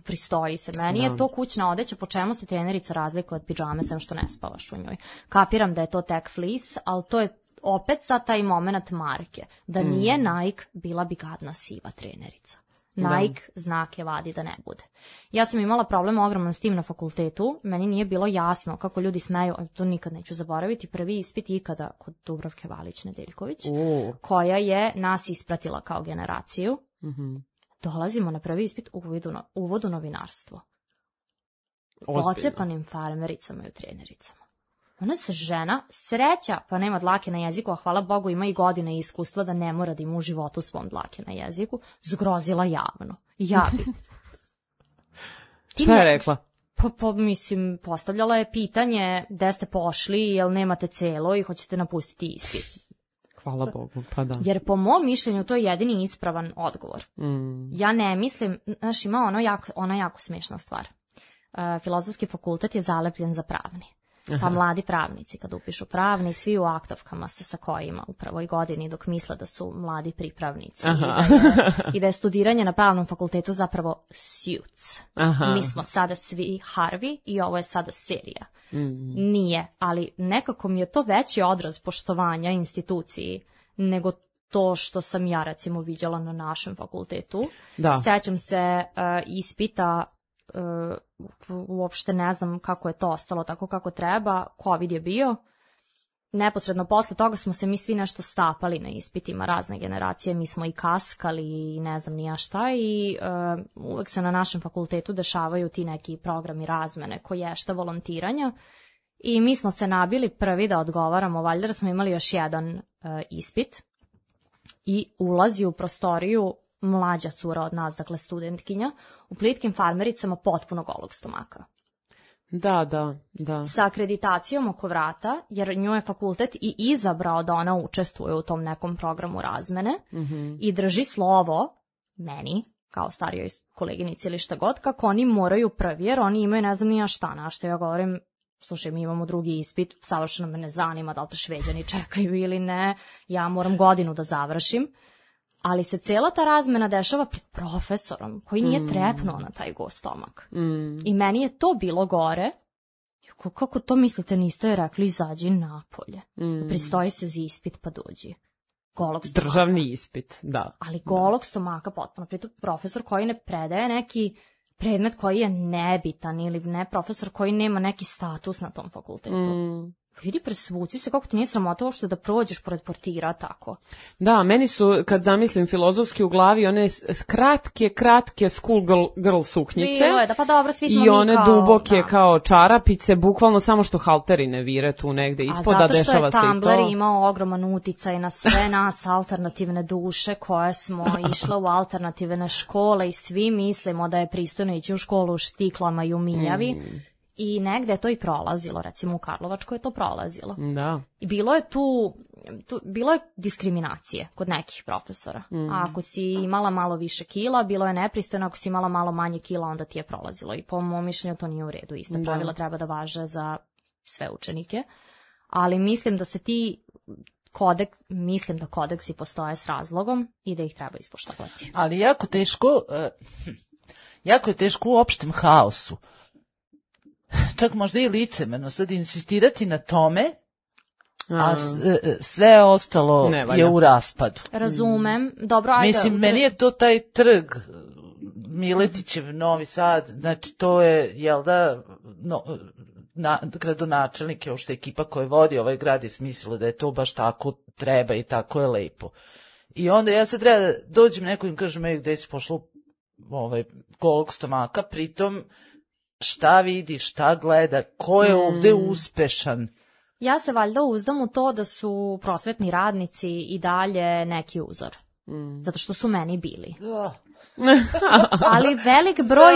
pristoji se. Meni no. je to kućna odeća, po čemu se trenerica razlikuje od pidžame, sem što ne spavaš u njoj. Kapiram da je to tek fleece, ali to je opet sa taj moment marke. Da nije mm. Nike, bila bi gadna siva trenerica. Nike da. Znake vadi da ne bude. Ja sam imala problem ogroman s tim na fakultetu, meni nije bilo jasno kako ljudi smeju, to nikad neću zaboraviti, prvi ispit ikada kod Dubravke Valić-Nedeljković, uh. koja je nas ispratila kao generaciju. Mm-hmm. Dolazimo na prvi ispit u uvodu, uvodu novinarstvo. Ocepanim farmericama i trenericama. Ona se žena, sreća, pa nema dlake na jeziku, a hvala Bogu ima i godine i iskustva da ne mora da ima u životu svom dlake na jeziku, zgrozila javno. Ja bi. Šta je rekla? Pa, pa mislim, postavljala je pitanje gde ste pošli, jel nemate celo i hoćete napustiti ispit. Hvala Bogu, pa da. Jer po mom mišljenju to je jedini ispravan odgovor. Mm. Ja ne mislim, znaš, ima ono jako, ona jako smiješna stvar. Uh, filozofski fakultet je zalepljen za pravni. Pa Aha. mladi pravnici kad upišu pravni, svi u aktovkama se sa kojima u prvoj godini dok misle da su mladi pripravnici i da, je, i da je studiranje na pravnom fakultetu zapravo suits. Aha. Mi smo sada svi Harvey i ovo je sada serija. Mm. Nije, ali nekako mi je to veći odraz poštovanja instituciji nego to što sam ja recimo viđala na našem fakultetu. Da. Sećam se uh, ispita, uh, uopšte ne znam kako je to ostalo tako kako treba, COVID je bio. Neposredno posle toga smo se mi svi nešto stapali na ispitima, razne generacije, mi smo i kaskali i ne znam ni ja šta i uh, uvek se na našem fakultetu dešavaju ti neki programi razmene koji je šta volontiranja i mi smo se nabili prvi da odgovaramo, valjda da smo imali još jedan uh, ispit i ulazi u prostoriju mlađa cura od nas, dakle studentkinja, u plitkim farmericama potpuno golog stomaka. Da, da, da. Sa akreditacijom oko vrata, jer nju je fakultet i izabrao da ona učestvuje u tom nekom programu razmene mm-hmm. i drži slovo meni, kao starijoj koleginici ili šta god, kako oni moraju prvi, jer oni imaju ne znam nija šta, na što ja govorim, slušaj, mi imamo drugi ispit, savršeno me ne zanima da li te Šveđani čekaju ili ne, ja moram godinu da završim, ali se cela ta razmena dešava pred profesorom koji nije mm. trepnuo na taj go stomak. Mm. I meni je to bilo gore. Kako to mislite, niste je rekli izađi napolje. Mm. Pristoji se za ispit pa dođi. Golog stomaka. Državni ispit, da. Ali golog stomaka potpuno. Pritom profesor koji ne predaje neki predmet koji je nebitan ili ne profesor koji nema neki status na tom fakultetu. Mm. Vidi, presvuci se, kako ti nije sramota uopšte da prođeš pored portira tako. Da, meni su, kad zamislim filozofski u glavi, one kratke, kratke school girl, girl suknjice. Bilo je, da pa dobro, svi smo i one kao, duboke da. Kao čarapice, bukvalno samo što halterine vire tu negde ispod, da dešava se i to. A zato što je Tumblr imao ogroman uticaj na sve nas alternativne duše koje smo išle u alternativne škole i svi mislimo da je pristojno ići u školu u štiklama i u minjavi. Mm. I negde je to i prolazilo, recimo u Karlovačkoj je to prolazilo. Da. I bilo je tu, tu bilo je diskriminacije kod nekih profesora. Mm. A ako si imala malo više kila, bilo je nepristojno, ako si imala malo manje kila, onda ti je prolazilo. I po mom mišljenju to nije u redu. Ista da. Pravila treba da važe za sve učenike. Ali mislim da se ti kodeks, mislim da kodeksi postoje s razlogom i da ih treba ispoštovati. Ali jako teško, uh, jako je teško u opštem haosu. Čak možda i licemerno sad insistirati na tome, a sve ostalo je u raspadu. Razumem. Dobro, ajde. Mislim, meni je to taj trg Miletićev Novi Sad, znači to je, jel da, no, na, gradonačelnik je uopšte ekipa koja vodi ovaj grad i smislila da je to baš tako treba i tako je lepo. I onda ja sad treba da dođem neko im kažem, ej, gde si pošlo ovaj, golog stomaka, pritom šta vidi, šta gleda, ko je ovde uspešan. Ja se valjda uzdam u to da su prosvetni radnici i dalje neki uzor. Mm. Zato što su meni bili. ali velik broj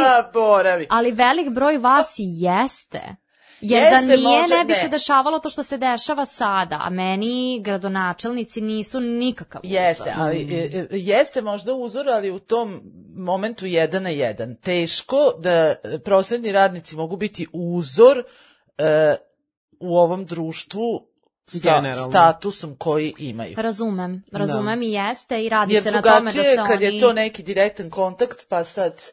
ali velik broj vas i jeste. Jer jeste, da nije, može, ne bi ne. se dešavalo to što se dešava sada, a meni gradonačelnici nisu nikakav uzor. Jeste, ali, jeste možda uzor, ali u tom momentu jedan na jedan. Teško da prosvetni radnici mogu biti uzor uh, u ovom društvu sa generalno statusom koji imaju. Razumem, razumem da. I jeste i radi jer se na tome da se kad oni... je to neki direktan kontakt, pa sad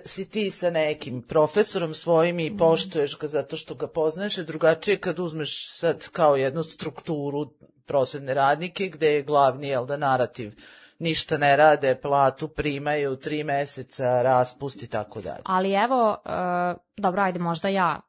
si ti sa nekim profesorom svojim i poštuješ ga zato što ga poznaješ, a drugačije kad uzmeš sad kao jednu strukturu prosvetne radnike gde je glavni, jel da, narativ ništa ne rade, platu primaju, tri meseca, raspust i tako dalje. Ali evo, uh, dobro, ajde, možda ja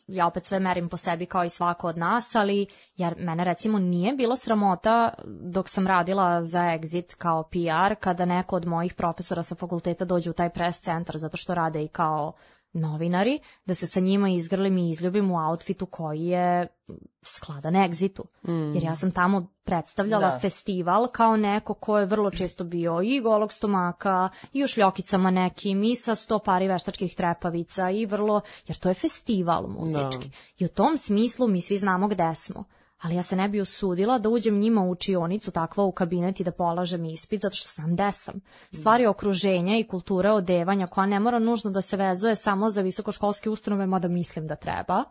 ja opet sve merim po sebi kao i svako od nas, ali jer mene recimo nije bilo sramota dok sam radila za Exit kao P R kada neko od mojih profesora sa fakulteta dođe u taj press centar zato što rade i kao novinari, da se sa njima izgrlim i izljubim u outfitu koji je skladan Exitu. Mm. Jer ja sam tamo predstavljala da. festival kao neko ko je vrlo često bio i golog stomaka, i u šljokicama nekim, i sa sto pari veštačkih trepavica, i vrlo, jer to je festival muzički. Da. I u tom smislu mi svi znamo gde smo. Ali ja se ne bi usudila da uđem njima u učionicu, takva u kabinet i da polažem ispit, zato što sam gde sam. Stvari okruženja i kultura odevanja koja ne mora nužno da se vezuje samo za visokoškolske ustanove, mada mislim da treba,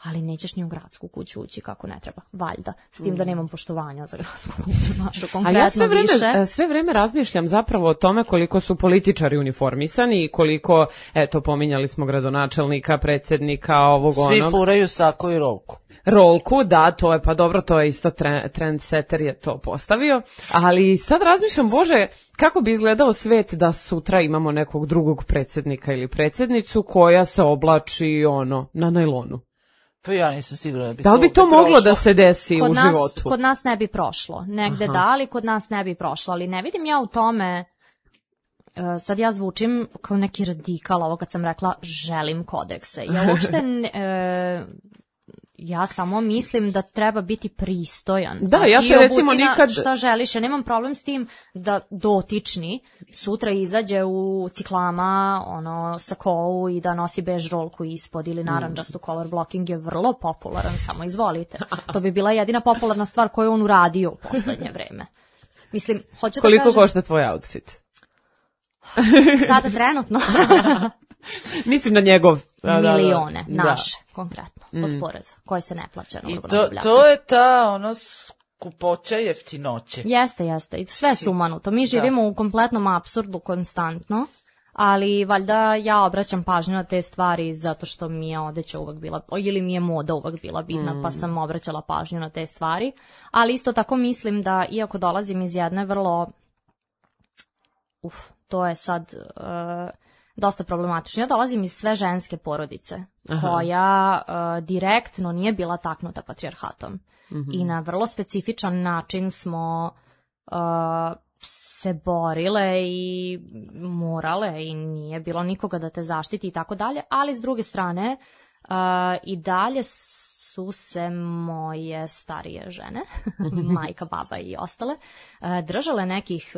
ali nećeš ni u gradsku kuću ući kako ne treba, valjda. S tim da nemam poštovanja za gradsku kuću našu konkretno A ja sve vreme, više. sve vreme razmišljam zapravo o tome koliko su političari uniformisani i koliko, eto, pominjali smo gradonačelnika, predsjednika, ovog Svi onog. Svi furaju sako i rolku. Rolku, da, to je, pa dobro, to je isto trendsetter je to postavio, ali sad razmišljam, Bože, kako bi izgledao svet da sutra imamo nekog drugog predsjednika ili predsjednicu koja se oblači, ono, na najlonu. Pa ja nisam sigurna da bi da li to, bi to bi moglo prošlo? Da se desi kod u nas, životu? Kod nas ne bi prošlo, negde Aha. da, ali kod nas ne bi prošlo, ali ne vidim ja u tome. Sad ja zvučim kao neki radikal, ovo kad sam rekla želim kodekse. Ja uopšte e, ja samo mislim da treba biti pristojan. Da, ja se recimo nikad... Šta želiš, ja nemam problem s tim da dotični sutra izađe u ciklama, ono, sakou i da nosi bež rolku ispod ili naranđastu. Color blocking je vrlo popularan, samo izvolite. To bi bila jedina popularna stvar koju on uradio u poslednje vreme. Mislim, hoću Koliko da kažem... košta tvoj outfit? Sada trenutno... Mislim na njegov. Da, milione, da, da. naše, da. Konkretno, od mm. poreza, koje se ne plaća na I urbanom to, to je ta, ono, skupoća jeftinoće. Jeste, jeste, i sve sumanuto. Mi živimo da. u kompletnom apsurdu konstantno, ali valjda ja obraćam pažnju na te stvari zato što mi je odeća uvek bila, ili mi je moda uvek bila bitna, mm. pa sam obraćala pažnju na te stvari. Ali isto tako mislim da, iako dolazim iz jedne vrlo, uf, to je sad... Uh, dosta problematično. Ja dolazim iz sve ženske porodice, Aha. koja uh, direktno nije bila taknuta patrijarhatom. Mm-hmm. I na vrlo specifičan način smo uh, se borile i morale i nije bilo nikoga da te zaštiti i tako dalje, ali s druge strane uh, i dalje su se moje starije žene, majka, baba i ostale, držale nekih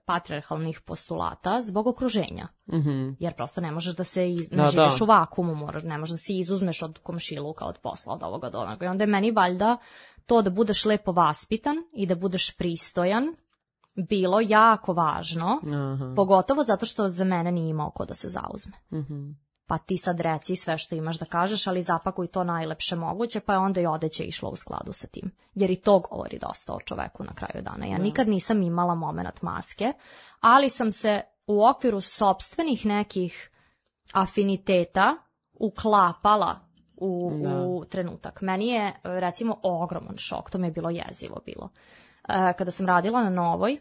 patrijarhalnih postulata zbog okruženja. Mm-hmm. Jer prosto ne možeš da se iz... ne da, živiš da. u vakumu, moraš, ne možeš da se izuzmeš od komšiluka, od posla, od ovoga do onoga. I onda je meni valjda to da budeš lepo vaspitan i da budeš pristojan bilo jako važno, Aha. pogotovo zato što za mene nije imao ko da se zauzme. Mm-hmm. Pa ti sad reci sve što imaš da kažeš, ali zapakuj to najlepše moguće, pa je onda i odeće išlo u skladu sa tim. Jer i to govori dosta o čoveku na kraju dana. Ja nikad nisam imala moment maske, ali sam se u okviru sopstvenih nekih afiniteta uklapala u, u trenutak. Meni je, recimo, ogroman šok, to mi je bilo jezivo bilo. E, kada sam radila na Novoj,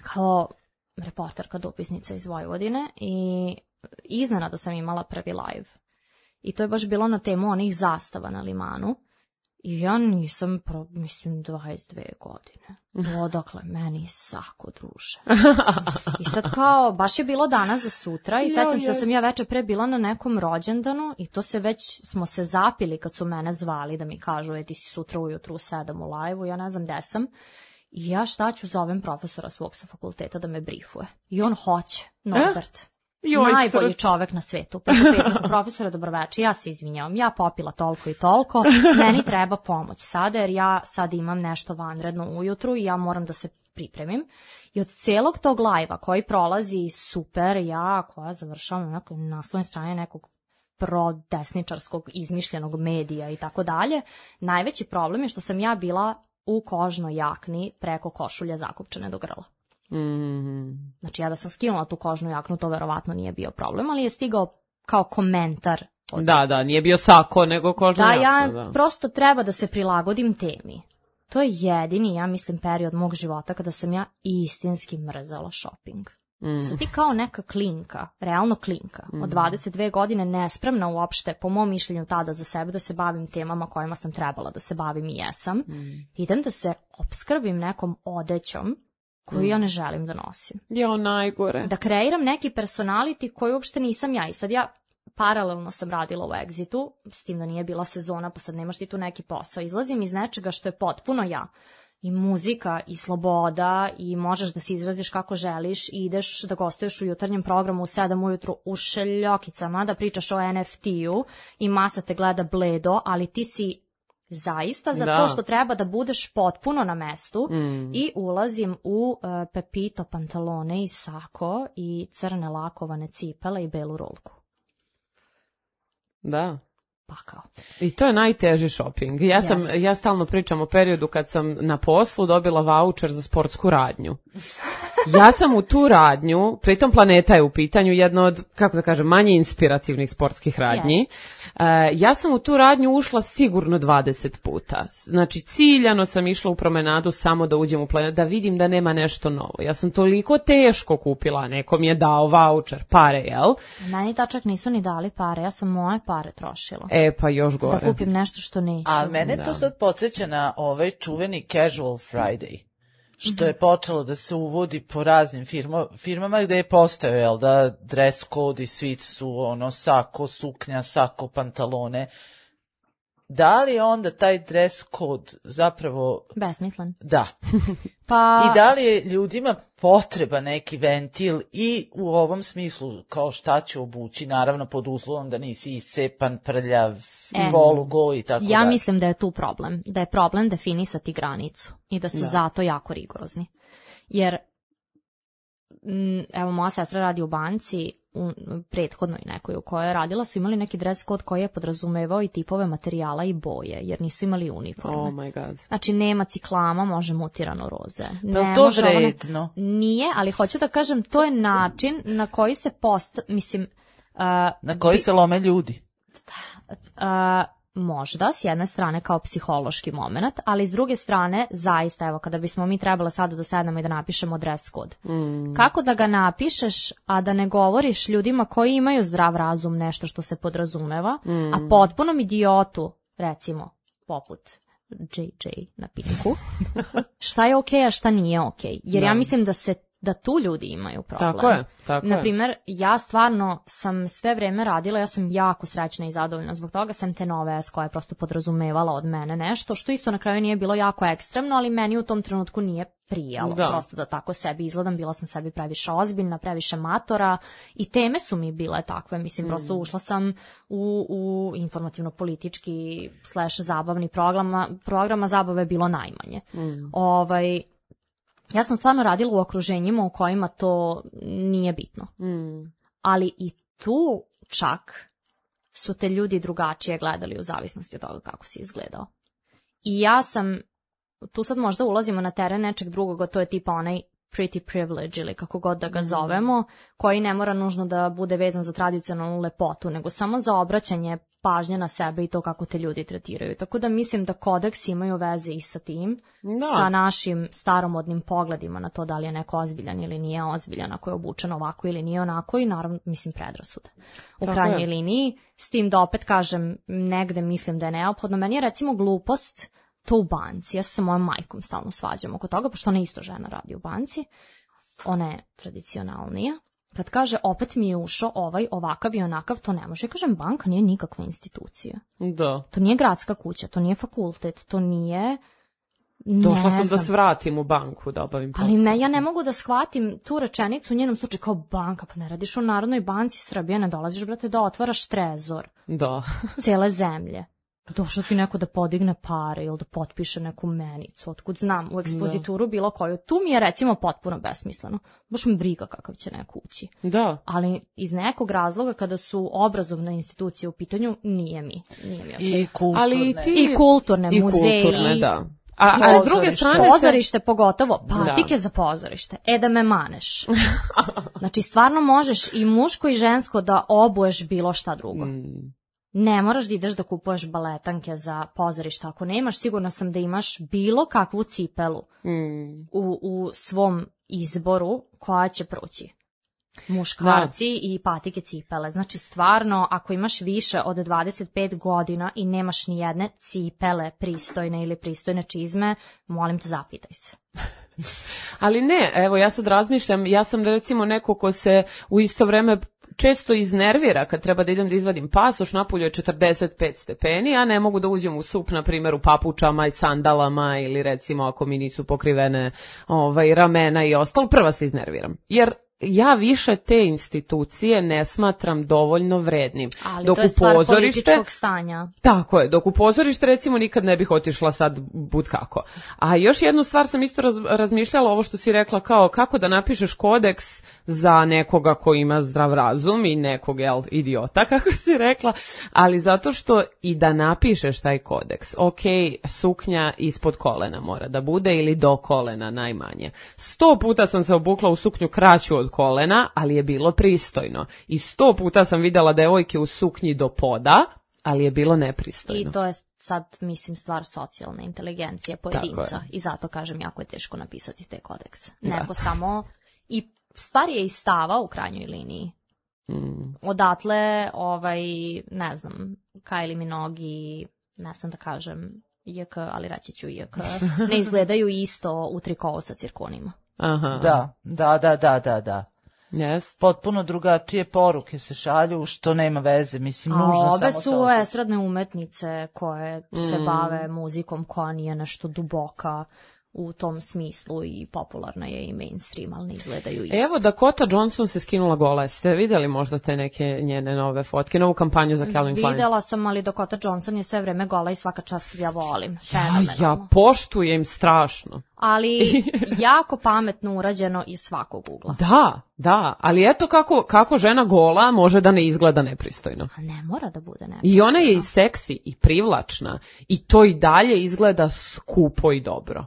kao reporterka, dopisnica iz Vojvodine, i iznenada sam imala prvi live. I to je baš bilo na temu onih zastava na limanu. I ja nisam, pro, mislim, dvadeset dve godine. Odakle, meni sako, druže. I sad kao, baš je bilo danas za sutra i sećam se da sam ja veče pre bila na nekom rođendanu i to se već, smo se zapili kad su mene zvali da mi kažu, e, ti si sutra ujutru u sedam u live-u, ja ne znam gde sam. I ja šta ću, zovem profesora svog sa fakulteta da me briefuje. I on hoće, Norbert. Joj, najbolji srč. Čovek na svetu. Profesore, dobroveče, ja se izvinjavam, ja popila toliko i toliko, meni treba pomoć sada, jer ja sad imam nešto vanredno ujutru i ja moram da se pripremim. I od celog tog live-a koji prolazi super, ja koja završavam na nekoj naslovnoj strani nekog prodesničarskog izmišljenog medija i tako dalje, najveći problem je što sam ja bila u kožnoj jakni preko košulje zakopčane do grla. Mm-hmm. Znači ja da sam skinula tu kožnu jaknu, to verovatno nije bio problem, ali je stigao kao komentar. Od... Da, da, nije bio sako, nego kožna da, jakna. Ja da. Prosto treba da se prilagodim temi. To je jedini, ja mislim, period mog života kada sam ja istinski mrzala shopping. Mm. Sad ti kao neka klinka, realno klinka, mm. od dvadeset dve godine nespremna uopšte, po mom mišljenju tada za sebe, da se bavim temama kojima sam trebala da se bavim i jesam. Mm. Idem da se opskrbim nekom odećom koju ja ne želim da nosim. Jo, najgore. Da kreiram neki personality koji uopšte nisam ja. I sad ja paralelno sam radila u Exitu, s tim da nije bila sezona, pa sad nemaš ti tu neki posao. Izlazim iz nečega što je potpuno ja. I muzika, i sloboda, i možeš da se izraziš kako želiš, i ideš da gostuješ u jutarnjem programu u sedam ujutru u šeljokicama, da pričaš o N F T-u i masa te gleda bledo, ali ti si zaista za da. to što treba da budeš potpuno na mestu mm. i ulazim u uh, Pepito pantalone i sako i crne lakovane cipele i belu rolku. Da. Pakao. I to je najteži shopping. Ja sam, Jeste. ja stalno pričam o periodu kad sam na poslu dobila vaučer za sportsku radnju. Ja sam u tu radnju, pritom Planeta je u pitanju, jedna od, kako da kažem, manje inspirativnih sportskih radnji. Uh, ja sam u tu radnju ušla sigurno dvadeset puta. Znači, ciljano sam išla u promenadu samo da uđem u Planetu, da vidim da nema nešto novo. Ja sam toliko teško kupila, neko mi je dao vaučer, pare, jel? Meni tačak nisu ni dali pare, ja sam moje pare trošila. E, pa još gore. Da kupim nešto što neću. A mene Da. to sad podsjeća na ovaj čuveni Casual Friday, što je počelo da se uvodi po raznim firma, firmama gde je postojao, jel da, dress code i svi su ono sako, suknja, sako, pantalone. Da li je onda taj dress code zapravo... Besmislen. Da. Pa... I da li je ljudima potreba neki ventil i u ovom smislu kao šta ću obući, naravno pod uslovom da nisi iscepan, prljav, E, polugo i tako Ja dalje. mislim da je tu problem. Da je problem definisati granicu i da su Da. zato jako rigorozni. Jer, m, evo, moja sestra radi u banci, u prethodnoj nekoj u kojoj je radila, su imali neki dress code koji je podrazumevao i tipove materijala i boje, jer nisu imali uniforme. Oh my god. Znači, nema ciklama, može mutirano roze. Pa Ne to može ovo ne- vredno? Nije, ali hoću da kažem, to je način na koji se post... Mislim, uh, Na koji se lome ljudi. Uh, možda, s jedne strane kao psihološki moment, ali s druge strane, zaista, evo, kada bismo mi trebali sada da sednemo i da napišemo dress code. Mm. Kako da ga napišeš, a da ne govoriš ljudima koji imaju zdrav razum nešto što se podrazumeva, Mm. a potpunom idiotu, recimo, poput J J na Pinku, šta je okej, a šta nije okej. Jer Da. ja mislim da se da tu ljudi imaju problem. Tako je, tako je. Naprimer, ja stvarno sam sve vreme radila, ja sam jako srećna i zadovoljna zbog toga, sam te nove S koja je prosto podrazumevala od mene nešto, što isto na kraju nije bilo jako ekstremno, ali meni u tom trenutku nije prijalo, Da. prosto da tako sebi izgledam, bila sam sebi previše ozbiljna, previše matora i teme su mi bile takve, mislim, prosto ušla sam u, u informativno-politički slash zabavni programa, programa zabave je bilo najmanje. Mm. Ovaj, ja sam stvarno radila u okruženjima u kojima to nije bitno. Mm. Ali i tu čak su te ljudi drugačije gledali u zavisnosti od toga kako si izgledao. I ja sam, tu sad možda ulazimo na teren nečeg drugog, a to je tipa onaj pretty privilege ili kako god da ga zovemo, koji ne mora nužno da bude vezan za tradicionalnu lepotu, nego samo za obraćanje pažnje na sebe i to kako te ljudi tretiraju. Tako da mislim da kodeksi imaju veze i sa tim, Da. sa našim staromodnim pogledima na to da li je neko ozbiljan ili nije ozbiljan, ako je obučen ovako ili nije onako i naravno, mislim, predrasude. U Tako krajnjoj je. liniji, s tim da opet kažem, negde mislim da je neophodno. Meni je recimo glupost to u banci. Ja se sa mojom majkom stalno svađam oko toga, pošto ona isto žena radi u banci. Ona je tradicionalnija. Kad kaže, opet mi je ušao ovaj, ovakav i onakav, to ne može. Ja kažem, banka nije nikakva institucija. Da. To nije gradska kuća, to nije fakultet, to nije... Došla ne sam da znam. se vratim u banku da obavim posao. Ali me, ja ne mogu da shvatim tu rečenicu u njenom slučaju kao banka, pa ne radiš u Narodnoj banci Srbije, ne dolaziš, brate, da otvaraš trezor Da. cele zemlje. Došao ti neko da podigne pare ili da potpiše neku menicu, otkud znam, u ekspozituru bilo koju. Tu mi je recimo potpuno besmisleno. Baš mi briga kakav će neko ući. Da. Ali iz nekog razloga kada su obrazovne institucije u pitanju, nije mi. Nije mi okej. I kulturne. Ali i ti... I kulturne, I muzeji. kulturne, da. A, a s druge Pozorište. strane... se- Pozorište pogotovo, patike Da. za pozorište. E da me maneš. Znači stvarno možeš i muško i žensko da obuješ bilo šta drugo. Mm. Ne moraš da ideš da kupuješ baletanke za pozorište. Ako nemaš, sigurno sam da imaš bilo kakvu cipelu Mm. u, u svom izboru koja će proći. Muškarci i patike cipele. Znači stvarno, ako imaš više od dvadeset pet godina i nemaš ni jedne cipele pristojne ili pristojne čizme, molim te, zapitaj se. Ali ne, evo ja sad razmišljam, ja sam recimo neko ko se u isto vreme često iznervira kad treba da idem da izvadim pasoš, napolju je četrdeset pet stepeni, a ne mogu da uđem u sup, na primjer, u papučama i sandalama ili recimo ako mi nisu pokrivene ovaj, ramena i ostalo, prva se iznerviram. Jer ja više te institucije ne smatram dovoljno vrednim. Ali dok to je stvar upozorište, političkog stanja. Tako je, dok u pozorište recimo nikad ne bih otišla sad bud kako. A još jednu stvar sam isto raz, razmišljala, ovo što si rekla, kao kako da napišeš kodeks za nekoga ko ima zdrav razum i nekog, jel, idiota, kako si rekla, ali zato što i da napišeš taj kodeks, ok, suknja ispod kolena mora da bude ili do kolena najmanje. Sto puta sam se obukla u suknju kraću od kolena, ali je bilo pristojno. I sto puta sam videla devojke u suknji do poda, ali je bilo nepristojno. I to je sad, mislim, stvar socijalne inteligencije pojedinca. I zato kažem, jako je teško napisati te kodekse. Nego da. Samo, i stvar je i stava u krajnjoj liniji. Mm. Odatle, ovaj, ne znam, Kylie Minogue, ne znam da kažem I K, ali reći ću I K, ne izgledaju isto u trikovu sa cirkonima. Aha. Da, da, da, da, da, da. Yes. Potpuno drugačije poruke se šalju, što nema veze, mislim, a nužno obe samo su estradne umetnice koje mm. se bave muzikom koja nije nešto duboka u tom smislu i popularna je i mainstream, ali ne izgledaju isto. Evo, Dakota Johnson se skinula gola. Ste vidjeli možda te neke njene nove fotke, novu kampanju za Calvin Klein? Videla sam, ali Dakota Johnson je sve vreme gola i svaka čast ja volim. Ja, ja poštujem strašno. Ali jako pametno urađeno iz svakog ugla. Da, da, ali eto kako, kako žena gola može da ne izgleda nepristojno. A ne mora da bude nepristojno. I ona je i seksi i privlačna i to i dalje izgleda skupo i dobro.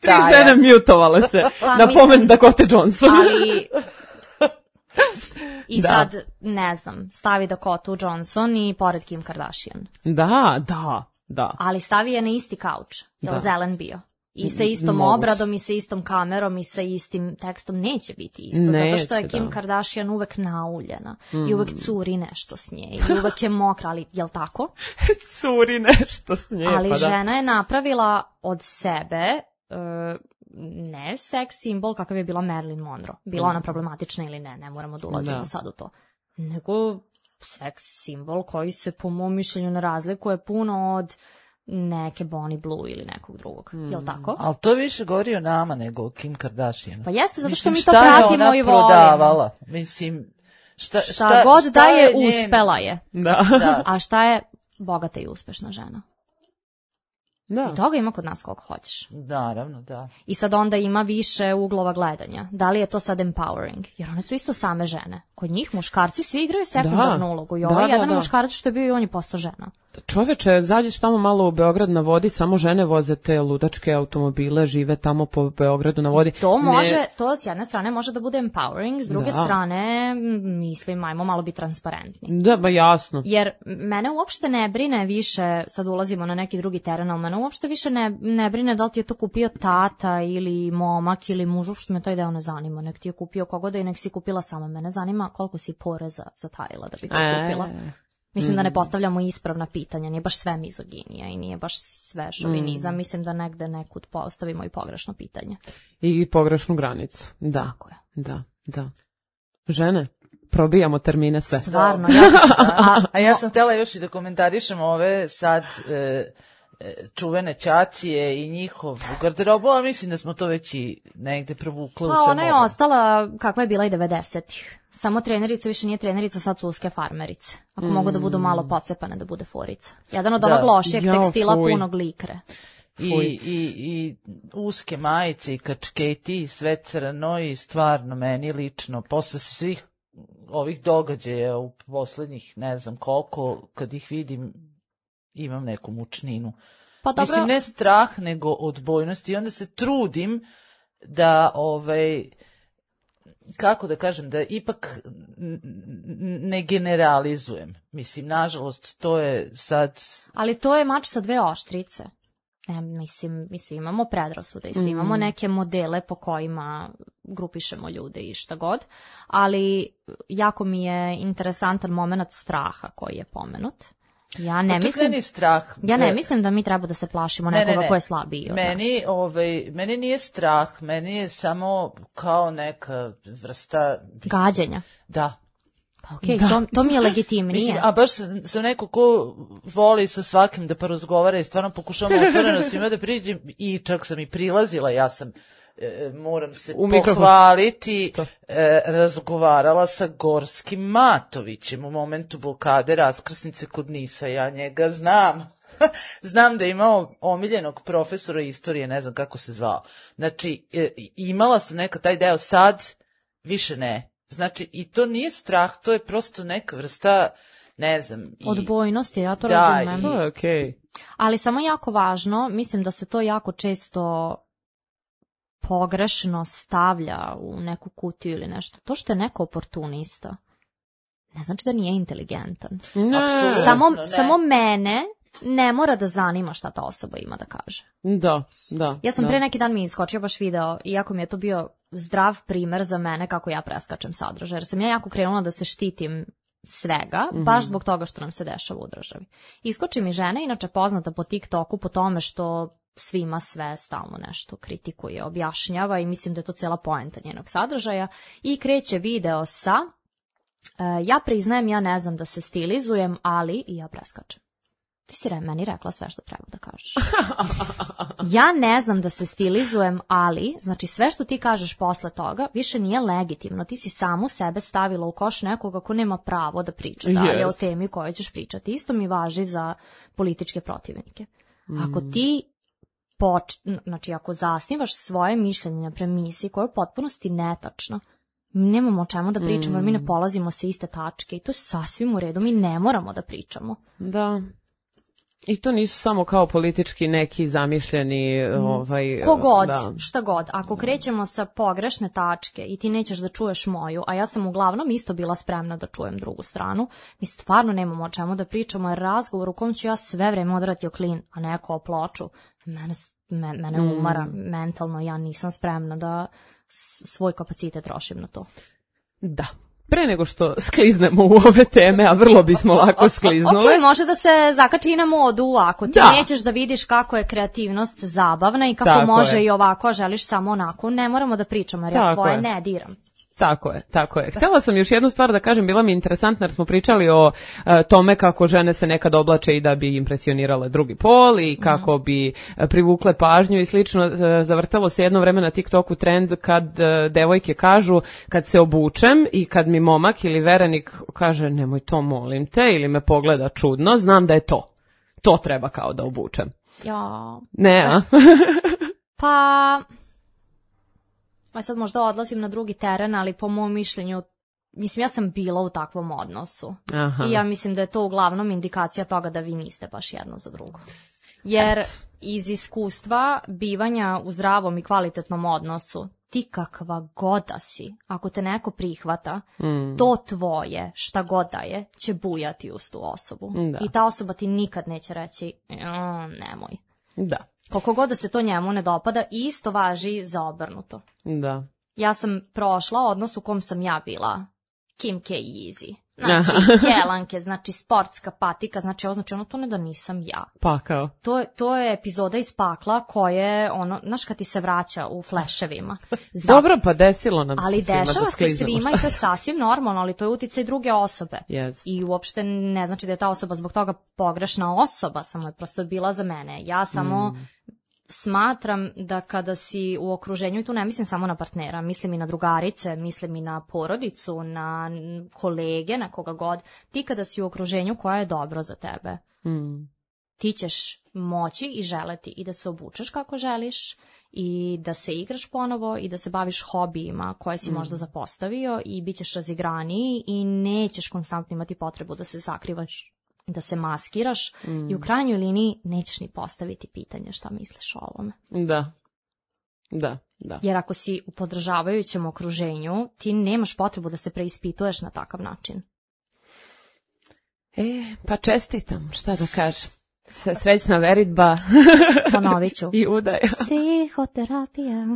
Tri da, žene ja. Mutovale se pa, na pomen Dakota Johnson. Ali i da. Sad, ne znam, stavi Dakota Johnson i pored Kim Kardashian. Da, da, da. Ali stavi je na isti kauč, je li zelen bio? I sa istom Moguć. obradom, i sa istom kamerom, i sa istim tekstom neće biti isto. Neće, zato što je Kim da. Kardashian uvek nauljena. Mm. I uvek curi nešto s nje. I uvek je mokra, ali je li tako? Curi nešto s nje, ali pa da. žena je napravila od sebe uh, ne seks simbol kakav je bila Marilyn Monroe. Bila mm. ona problematična ili ne, ne moramo da ulazimo da. sad u to. Nego seks simbol koji se po mom mišljenju ne razlikuje puno od neke Bonnie Blue ili nekog drugog. Mm. Jel' tako? Ali to više govori o nama nego o Kim Kardashian. Pa jeste, zato što Mislim, mi to pratimo i volimo. Prodavala? Mislim, šta, šta, šta god šta da je, je njen... uspela je. Da. da. A šta je bogata i uspešna žena? Da. I toga ima kod nas koliko hoćeš. Naravno, da. I sad onda ima više uglova gledanja. Da li je to sad empowering? Jer one su isto same žene. Kod njih muškarci svi igraju sekundarnu da. ulogu. I ovo da, je jedan da, da. muškarac što je bio i on je postao žena. Čoveče, zađeš tamo malo u Beograd na vodi, samo žene voze te ludačke automobile, žive tamo po Beogradu na vodi. I to može, ne... to s jedne strane može da bude empowering, s druge da. strane, mislim, ajmo malo biti transparentni. Da, ba jasno. Jer mene uopšte ne brine više, sad ulazimo na neki drugi teren, ali mene uopšte više ne, ne brine da li ti je to kupio tata ili momak ili muž, uopšte me taj deo ne zanima, nek ti je kupio kogoda i nek si kupila sama. Mene zanima koliko si poreza zatajila da bi to kupila. E... Mislim da ne postavljamo ispravna pitanja, nije baš sve mizoginija i nije baš sve šovinizam, mm. mislim da negde nekud postavimo i pogrešno pitanje. I pogrešnu granicu, da. Tako je. Da, da. Žene, probijamo termine sve. Stvarno. Ja sam, a, a ja sam htjela još i da komentarišem ove sad e, čuvene ćacije i njihov garderobu, a mislim da smo to već i negde provukli u sve. Pa ona je ostala kakva je bila i devedesetih. Samo trenerica više nije trenerica, sad su uske farmerice. Ako mm. mogu da budu malo pocepane, da bude forica. Jedan od onog lošijeg tekstila fuj. punog likre. I, i, I uske majice i kačketi i sve crno i stvarno meni lično, posle svih ovih događaja u poslednjih ne znam koliko, kad ih vidim, imam neku mučninu. Pa dobro. Mislim, ne strah, nego odbojnost i onda se trudim da ovaj... kako da kažem, da ipak ne generalizujem. Mislim, nažalost, to je sad... Ali to je mač sa dve oštrice. Ne, mislim, mi svi imamo predrasude i svi mm. imamo neke modele po kojima grupišemo ljude i šta god, ali jako mi je interesantan moment straha koji je pomenut. Ja ne pa mislim, ni strah. Ja ne mislim da mi treba da se plašimo nekoga ne, ne, ne. ko je slabiji od meni, nas. Ovaj, meni nije strah, meni je samo kao neka vrsta... Gađenja. Da. Pa okej, okay, to, to mi je legitimnije. Mislim, a baš sam neko ko voli sa svakim da porazgovara i stvarno pokušavam otvoreno svima da priđem i čak sam i prilazila, ja sam... E, moram se u pohvaliti, e, razgovarala sa Gorskim Matovićem u momentu blokade raskrsnice kod Nisa, ja njega znam. Znam da je imao omiljenog profesora istorije, ne znam kako se zvao. Znači, e, imala sam neka taj deo, sad više ne. Znači, i to nije strah, to je prosto neka vrsta, ne znam. I... odbojnosti, ja to da, razumem. I... to je okej. Okay. Ali samo jako važno, mislim da se to jako često... pogrešno stavlja u neku kutiju ili nešto. To što je neko oportunista, ne znači da nije inteligentan. Ne, samo, ne. samo mene ne mora da zanima šta ta osoba ima da kaže. Da, da. Ja sam da. pre neki dan mi iskočio baš video, iako mi je to bio zdrav primer za mene kako ja preskačem sadržaj, jer sam ja jako krenula da se štitim svega, mm-hmm. baš zbog toga što nam se dešava u državi. Iskoči mi žena, inače poznata po TikToku, po tome što svima sve stalno nešto kritikuje, objašnjava i mislim da je to cela poenta njenog sadržaja i kreće video sa uh, ja priznajem, ja ne znam da se stilizujem, ali i ja preskačem. Ti si re, meni rekla sve što treba da kažeš. Ja ne znam da se stilizujem, ali, znači sve što ti kažeš posle toga više nije legitimno. Ti si samu sebe stavila u koš nekoga ko nema pravo da priča dalje yes. o temi kojoj ćeš pričati. Isto mi važi za političke protivnike. Mm. Ako ti Poč, znači ako zasnivaš svoje mišljenje na premisi koja je u potpunosti netačna, mi nemamo o čemu da pričamo, jer mi ne polazimo sa iste tačke i to je sasvim u redu, mi ne moramo da pričamo. Da. I to nisu samo kao politički neki zamišljeni... Mm. Ovaj, Kogod, da. šta god. Ako krećemo sa pogrešne tačke i ti nećeš da čuješ moju, a ja sam uglavnom isto bila spremna da čujem drugu stranu, mi stvarno nemamo o čemu da pričamo, jer razgovor u kom ću ja sve vreme odrati o klin, a ne o ploču, mene, me, mene mm. umara mentalno, ja nisam spremna da svoj kapacitet trošim na to. Da. Pre nego što skliznemo u ove teme, a vrlo bismo lako skliznule. Ok, može da se zakači i na modu, ako ti da. nećeš da vidiš kako je kreativnost zabavna i kako tako može je. i ovako, a želiš samo onako, ne moramo da pričamo, jer ja tvoje je. ne diram. Tako je, tako je. Htjela sam još jednu stvar da kažem, bila mi interesantna jer smo pričali o uh, tome kako žene se nekad oblače i da bi impresionirale drugi pol i kako mm. bi uh, privukle pažnju i slično. Uh, zavrtelo se jedno vreme na TikToku trend kad uh, devojke kažu kad se obučem i kad mi momak ili verenik kaže nemoj to molim te ili me pogleda čudno, znam da je to. To treba kao da obučem. Ja. Ne, a? Pa... A sad možda odlazim na drugi teren, ali po mom mišljenju, mislim, ja sam bila u takvom odnosu. Aha. I ja mislim da je to uglavnom indikacija toga da vi niste baš jedno za drugo. Jer Et. iz iskustva bivanja u zdravom i kvalitetnom odnosu, ti kakva god da si, ako te neko prihvata, mm. to tvoje, šta god da je, će bujati uz tu osobu. Da. I ta osoba ti nikad neće reći, nemoj. Da. Koliko god da se to njemu ne dopada, isto važi za obrnuto. Da. Ja sam prošla odnos u kom sam ja bila Kim K. Easy. Znači, helanke, znači sportska patika, znači ovo znači ono to ne da nisam ja. Pakao. To, to je epizoda iz pakla koje, ono, znaš kad ti se vraća u fleševima. Zato, dobro, pa desilo nam ali se svima dešava da se svima i to je sasvim normalno, ali to je uticaj druge osobe. Yes. I uopšte ne znači da je ta osoba zbog toga pogrešna osoba, samo je prosto bila za mene. Ja samo... Mm. Smatram da kada si u okruženju, i tu ne mislim samo na partnera, mislim i na drugarice, mislim i na porodicu, na kolege, na koga god, ti kada si u okruženju koja je dobro za tebe, mm. ti ćeš moći i želeti i da se obučeš kako želiš i da se igraš ponovo i da se baviš hobijima koje si mm. možda zapostavio i bit ćeš razigraniji i nećeš konstantno imati potrebu da se sakrivaš, da se maskiraš mm. i u krajnjoj liniji nećeš ni postaviti pitanje šta misliš o ovome. Da, da, da. Jer ako si u podržavajućem okruženju, ti nemaš potrebu da se preispituješ na takav način. E, pa čestitam, šta da kažem. Srećna veritba. Ponovit ću. I udaja. Psihoterapija.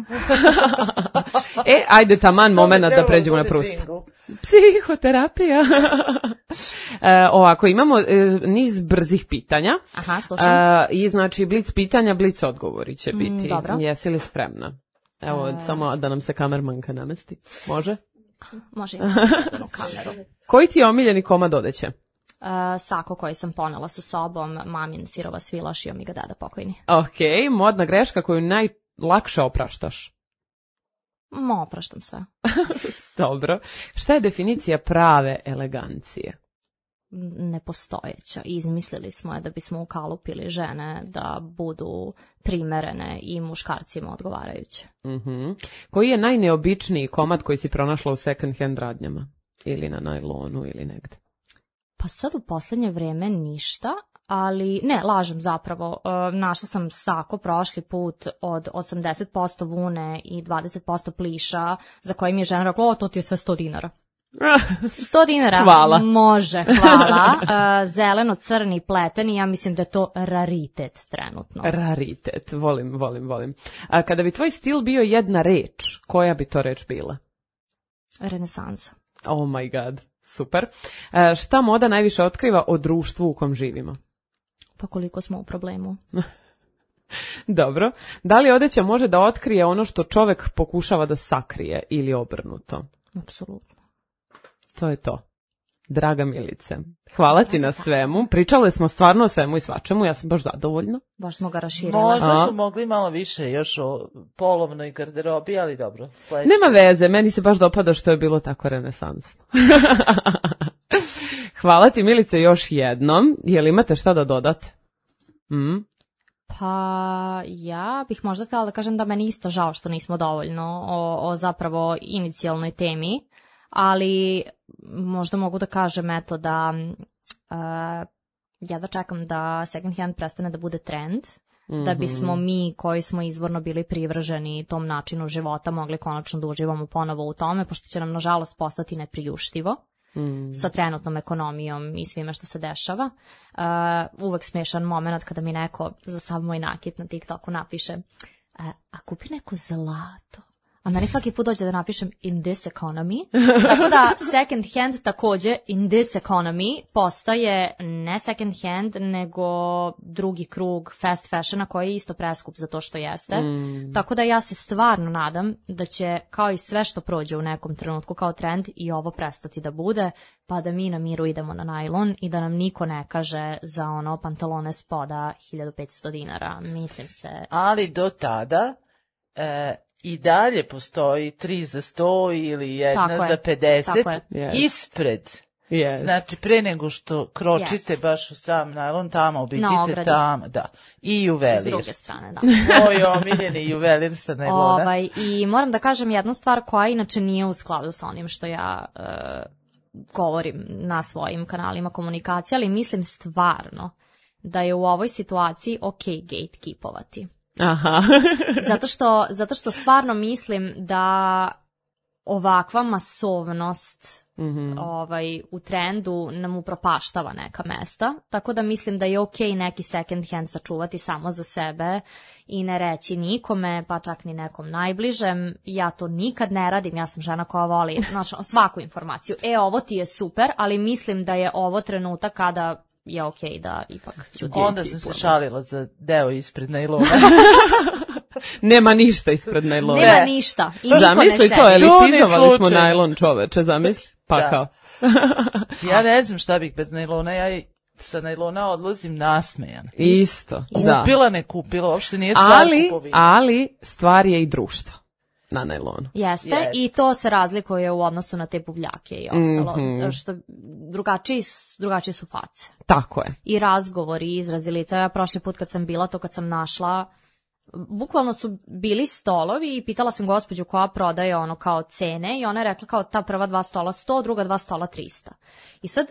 E, ajde taman moment da pređemo na Prusta. Psihoterapija. e, ovako, imamo e, niz brzih pitanja. Aha, slušam. E, I znači, blic pitanja, blic odgovori će biti. Mm, dobro. Jesi li spremna? Evo, e... samo da nam se kamermanka namesti. Može? Može imati kameru. Koji ti je omiljeni komad odeće? Uh, sako koji sam ponela sa sobom, mamin sirova svila, šio mi ga dada pokojni. Ok, modna greška koju najlakše opraštaš? Mo, opraštam sve. Dobro. Šta je definicija prave elegancije? Nepostojeća. Izmislili smo je da bismo ukalupili žene da budu primerene i muškarcima odgovarajuće. Uh-huh. Koji je najneobičniji komad koji si pronašla u second hand radnjama? Ili na najlonu ili negde? Pa sad u poslednje vreme ništa, ali ne, lažem zapravo. E, našla sam sako prošli put od osamdeset posto vune i dvadeset posto pliša, za koji mi je žena rekla, o, to ti je sve sto dinara. sto dinara? Hvala. Može, hvala. E, zeleno-crni pleteni, ja mislim da je to raritet trenutno. Raritet, volim, volim, volim. A kada bi tvoj stil bio jedna reč, koja bi to reč bila? Renesansa. Oh my god. Super. E, šta moda najviše otkriva o društvu u kom živimo? Pa koliko smo u problemu. Dobro. Da li odeća može da otkrije ono što čovek pokušava da sakrije ili obrnuto? Apsolutno. To je to. Draga Milice, hvala ti na svemu. Pričale smo stvarno o svemu i svačemu, ja sam baš zadovoljna. Baš smo ga raširili. Možda A? smo mogli malo više još o polovnoj garderobi, ali dobro. Sledeće. Nema veze, meni se baš dopada što je bilo tako renesansno. Hvala ti Milice još jednom. Je li imate šta da dodate? Mm? Pa ja bih možda htjela da kažem da meni isto žao što nismo dovoljno o, o zapravo inicijalnoj temi, ali možda mogu da kažem eto da uh, ja da čekam da second hand prestane da bude trend, mm-hmm. da bismo mi koji smo izvorno bili privrženi tom načinu života mogli konačno da uživamo ponovo u tome, pošto će nam nažalost postati nepriuštivo. Mm. sa trenutnom ekonomijom i svime što se dešava. Uh, uvek smešan moment kada mi neko za sav moj nakit na TikToku napiše uh, a kupi neko zlato. A meni svaki put dođe da napišem in this economy. Tako da second hand takođe in this economy postaje ne second hand nego drugi krug fast fashiona koji je isto preskup za to što jeste. Mm. Tako da ja se stvarno nadam da će kao i sve što prođe u nekom trenutku kao trend i ovo prestati da bude, pa da mi na miru idemo na najlon i da nam niko ne kaže za ono pantalone spoda hiljadu petsto dinara. Mislim se. Ali do tada e, i dalje postoji tri za sto ili jedna tako za pedeset yes. ispred. Yes. Znači, pre nego što kročite yes. baš u sam najlon, tamo obiđite tamo, da. I juvelir. S druge strane, da. Moj omiljeni juvelir sa najlona. Ovaj, I moram da kažem jednu stvar koja inače nije u skladu sa onim što ja uh, govorim na svojim kanalima komunikacije, ali mislim stvarno da je u ovoj situaciji ok gatekeepovati. Aha. zato, što, zato što stvarno mislim da ovakva masovnost mm-hmm. ovaj, u trendu nam upropaštava neka mesta, tako da mislim da je ok neki second hand sačuvati samo za sebe i ne reći nikome, pa čak ni nekom najbližem. Ja to nikad ne radim, ja sam žena koja voli znači, svaku informaciju. E, ovo ti je super, ali mislim da je ovo trenutak kada je okej okay da ipak ću onda sam se šalila za deo ispred najlona. Nema ništa ispred najlona. Nema ništa. I niko zamisli ne to, elitizovali smo najlon, čoveče, zamisli. Pa da. Kao. Ja ne znam šta bih bez najlona, ja sa najlona odlazim nasmejan. Isto, kupila, da. ne kupila, uopšte nije stvar ali, kupovina. Ali stvar je i društva na najlonu. Jeste, Jest. I to se razlikuje u odnosu na te buvljake i ostalo, mm-hmm. što drugačiji, drugačije su face. Tako je. I razgovori, i izrazi lica. Ja prošli put kad sam bila, to kad sam našla, bukvalno su bili stolovi i pitala sam gospođu koja prodaje ono kao cene i ona je rekla kao ta prva dva stola sto, druga dva stola trista. I sad,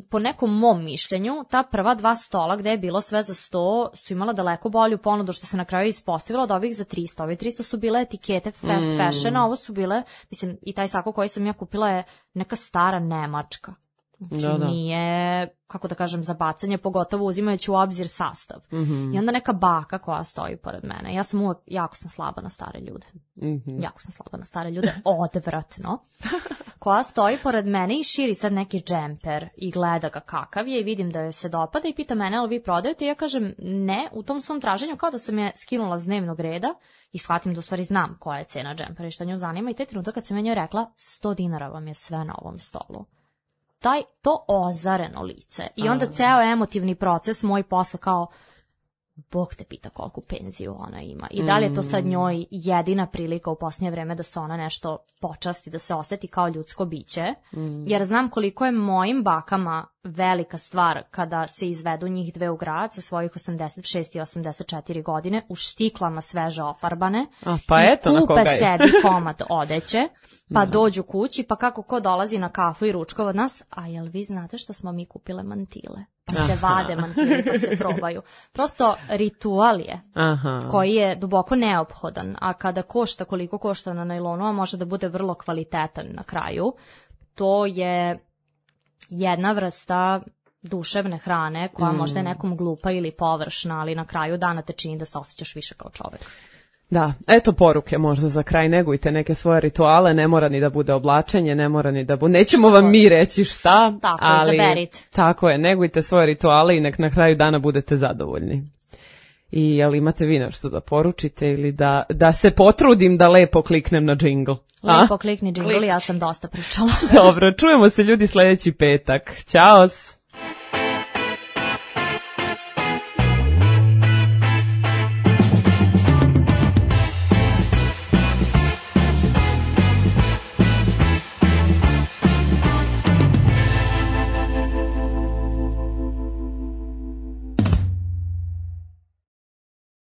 po nekom mom mišljenju, ta prva dva stola gde je bilo sve za sto su imala daleko bolju ponudu što se na kraju ispostavilo od ovih za trista. Ovi trista su bile etikete fast fashiona, ovo su bile, mislim, i taj sako koji sam ja kupila je neka stara Nemačka. Znači Da, da. nije, kako da kažem, za bacanje, pogotovo uzimajući u obzir sastav. Mhm. I onda neka baka koja stoji pored mene. Ja sam uvek, jako sam slaba na stare ljude. Mhm. Jako sam slaba na stare ljude, odvratno. Koja stoji pored mene i širi sad neki džemper i gleda ga kakav je i vidim da joj se dopada i pita mene, ali vi prodajete? I ja kažem ne, u tom svom traženju kao da sam je skinula s dnevnog reda i shvatim da u stvari znam koja je cena džempera i šta nju zanima i te trenutak kad sam ja njoj rekla sto dinara vam je sve na ovom stolu. Taj, to ozareno lice. I onda ceo emotivni proces moj posle kao, Bog te pita koliku penziju ona ima. I da li je to sad njoj jedina prilika u posljednje vreme da se ona nešto počasti, da se oseti kao ljudsko biće. Mm. Jer znam koliko je mojim bakama velika stvar kada se izvedu njih dve u grad sa svojih osamdeset šest i osamdeset četiri godine u štiklama sveže ofarbane. A, pa i eto na kupe koga je. sebi komad odeće, pa dođu kući, pa kako ko dolazi na kafu i ručkova od nas, a jel vi znate što smo mi kupile mantile? Pa se vade mantili, pa se probaju. Prosto ritual je Aha. koji je duboko neophodan, a kada košta koliko košta na najlonu, a može da bude vrlo kvalitetan na kraju, to je jedna vrsta duševne hrane koja mm. možda je nekom glupa ili površna, ali na kraju dana te čini da se osjećaš više kao čovek. Da, eto poruke možda za kraj, negujte neke svoje rituale, ne mora ni da bude oblačenje, ne mora ni da bude, nećemo vam mi reći šta, tako, ali izaberite. Tako je, negujte svoje rituale i nek na kraju dana budete zadovoljni. I jel imate vi nešto da poručite ili da, da se potrudim da lepo kliknem na džingl? Lepo klikni džingl, ja sam dosta pričala. Dobro, čujemo se ljudi sljedeći petak. Ćao!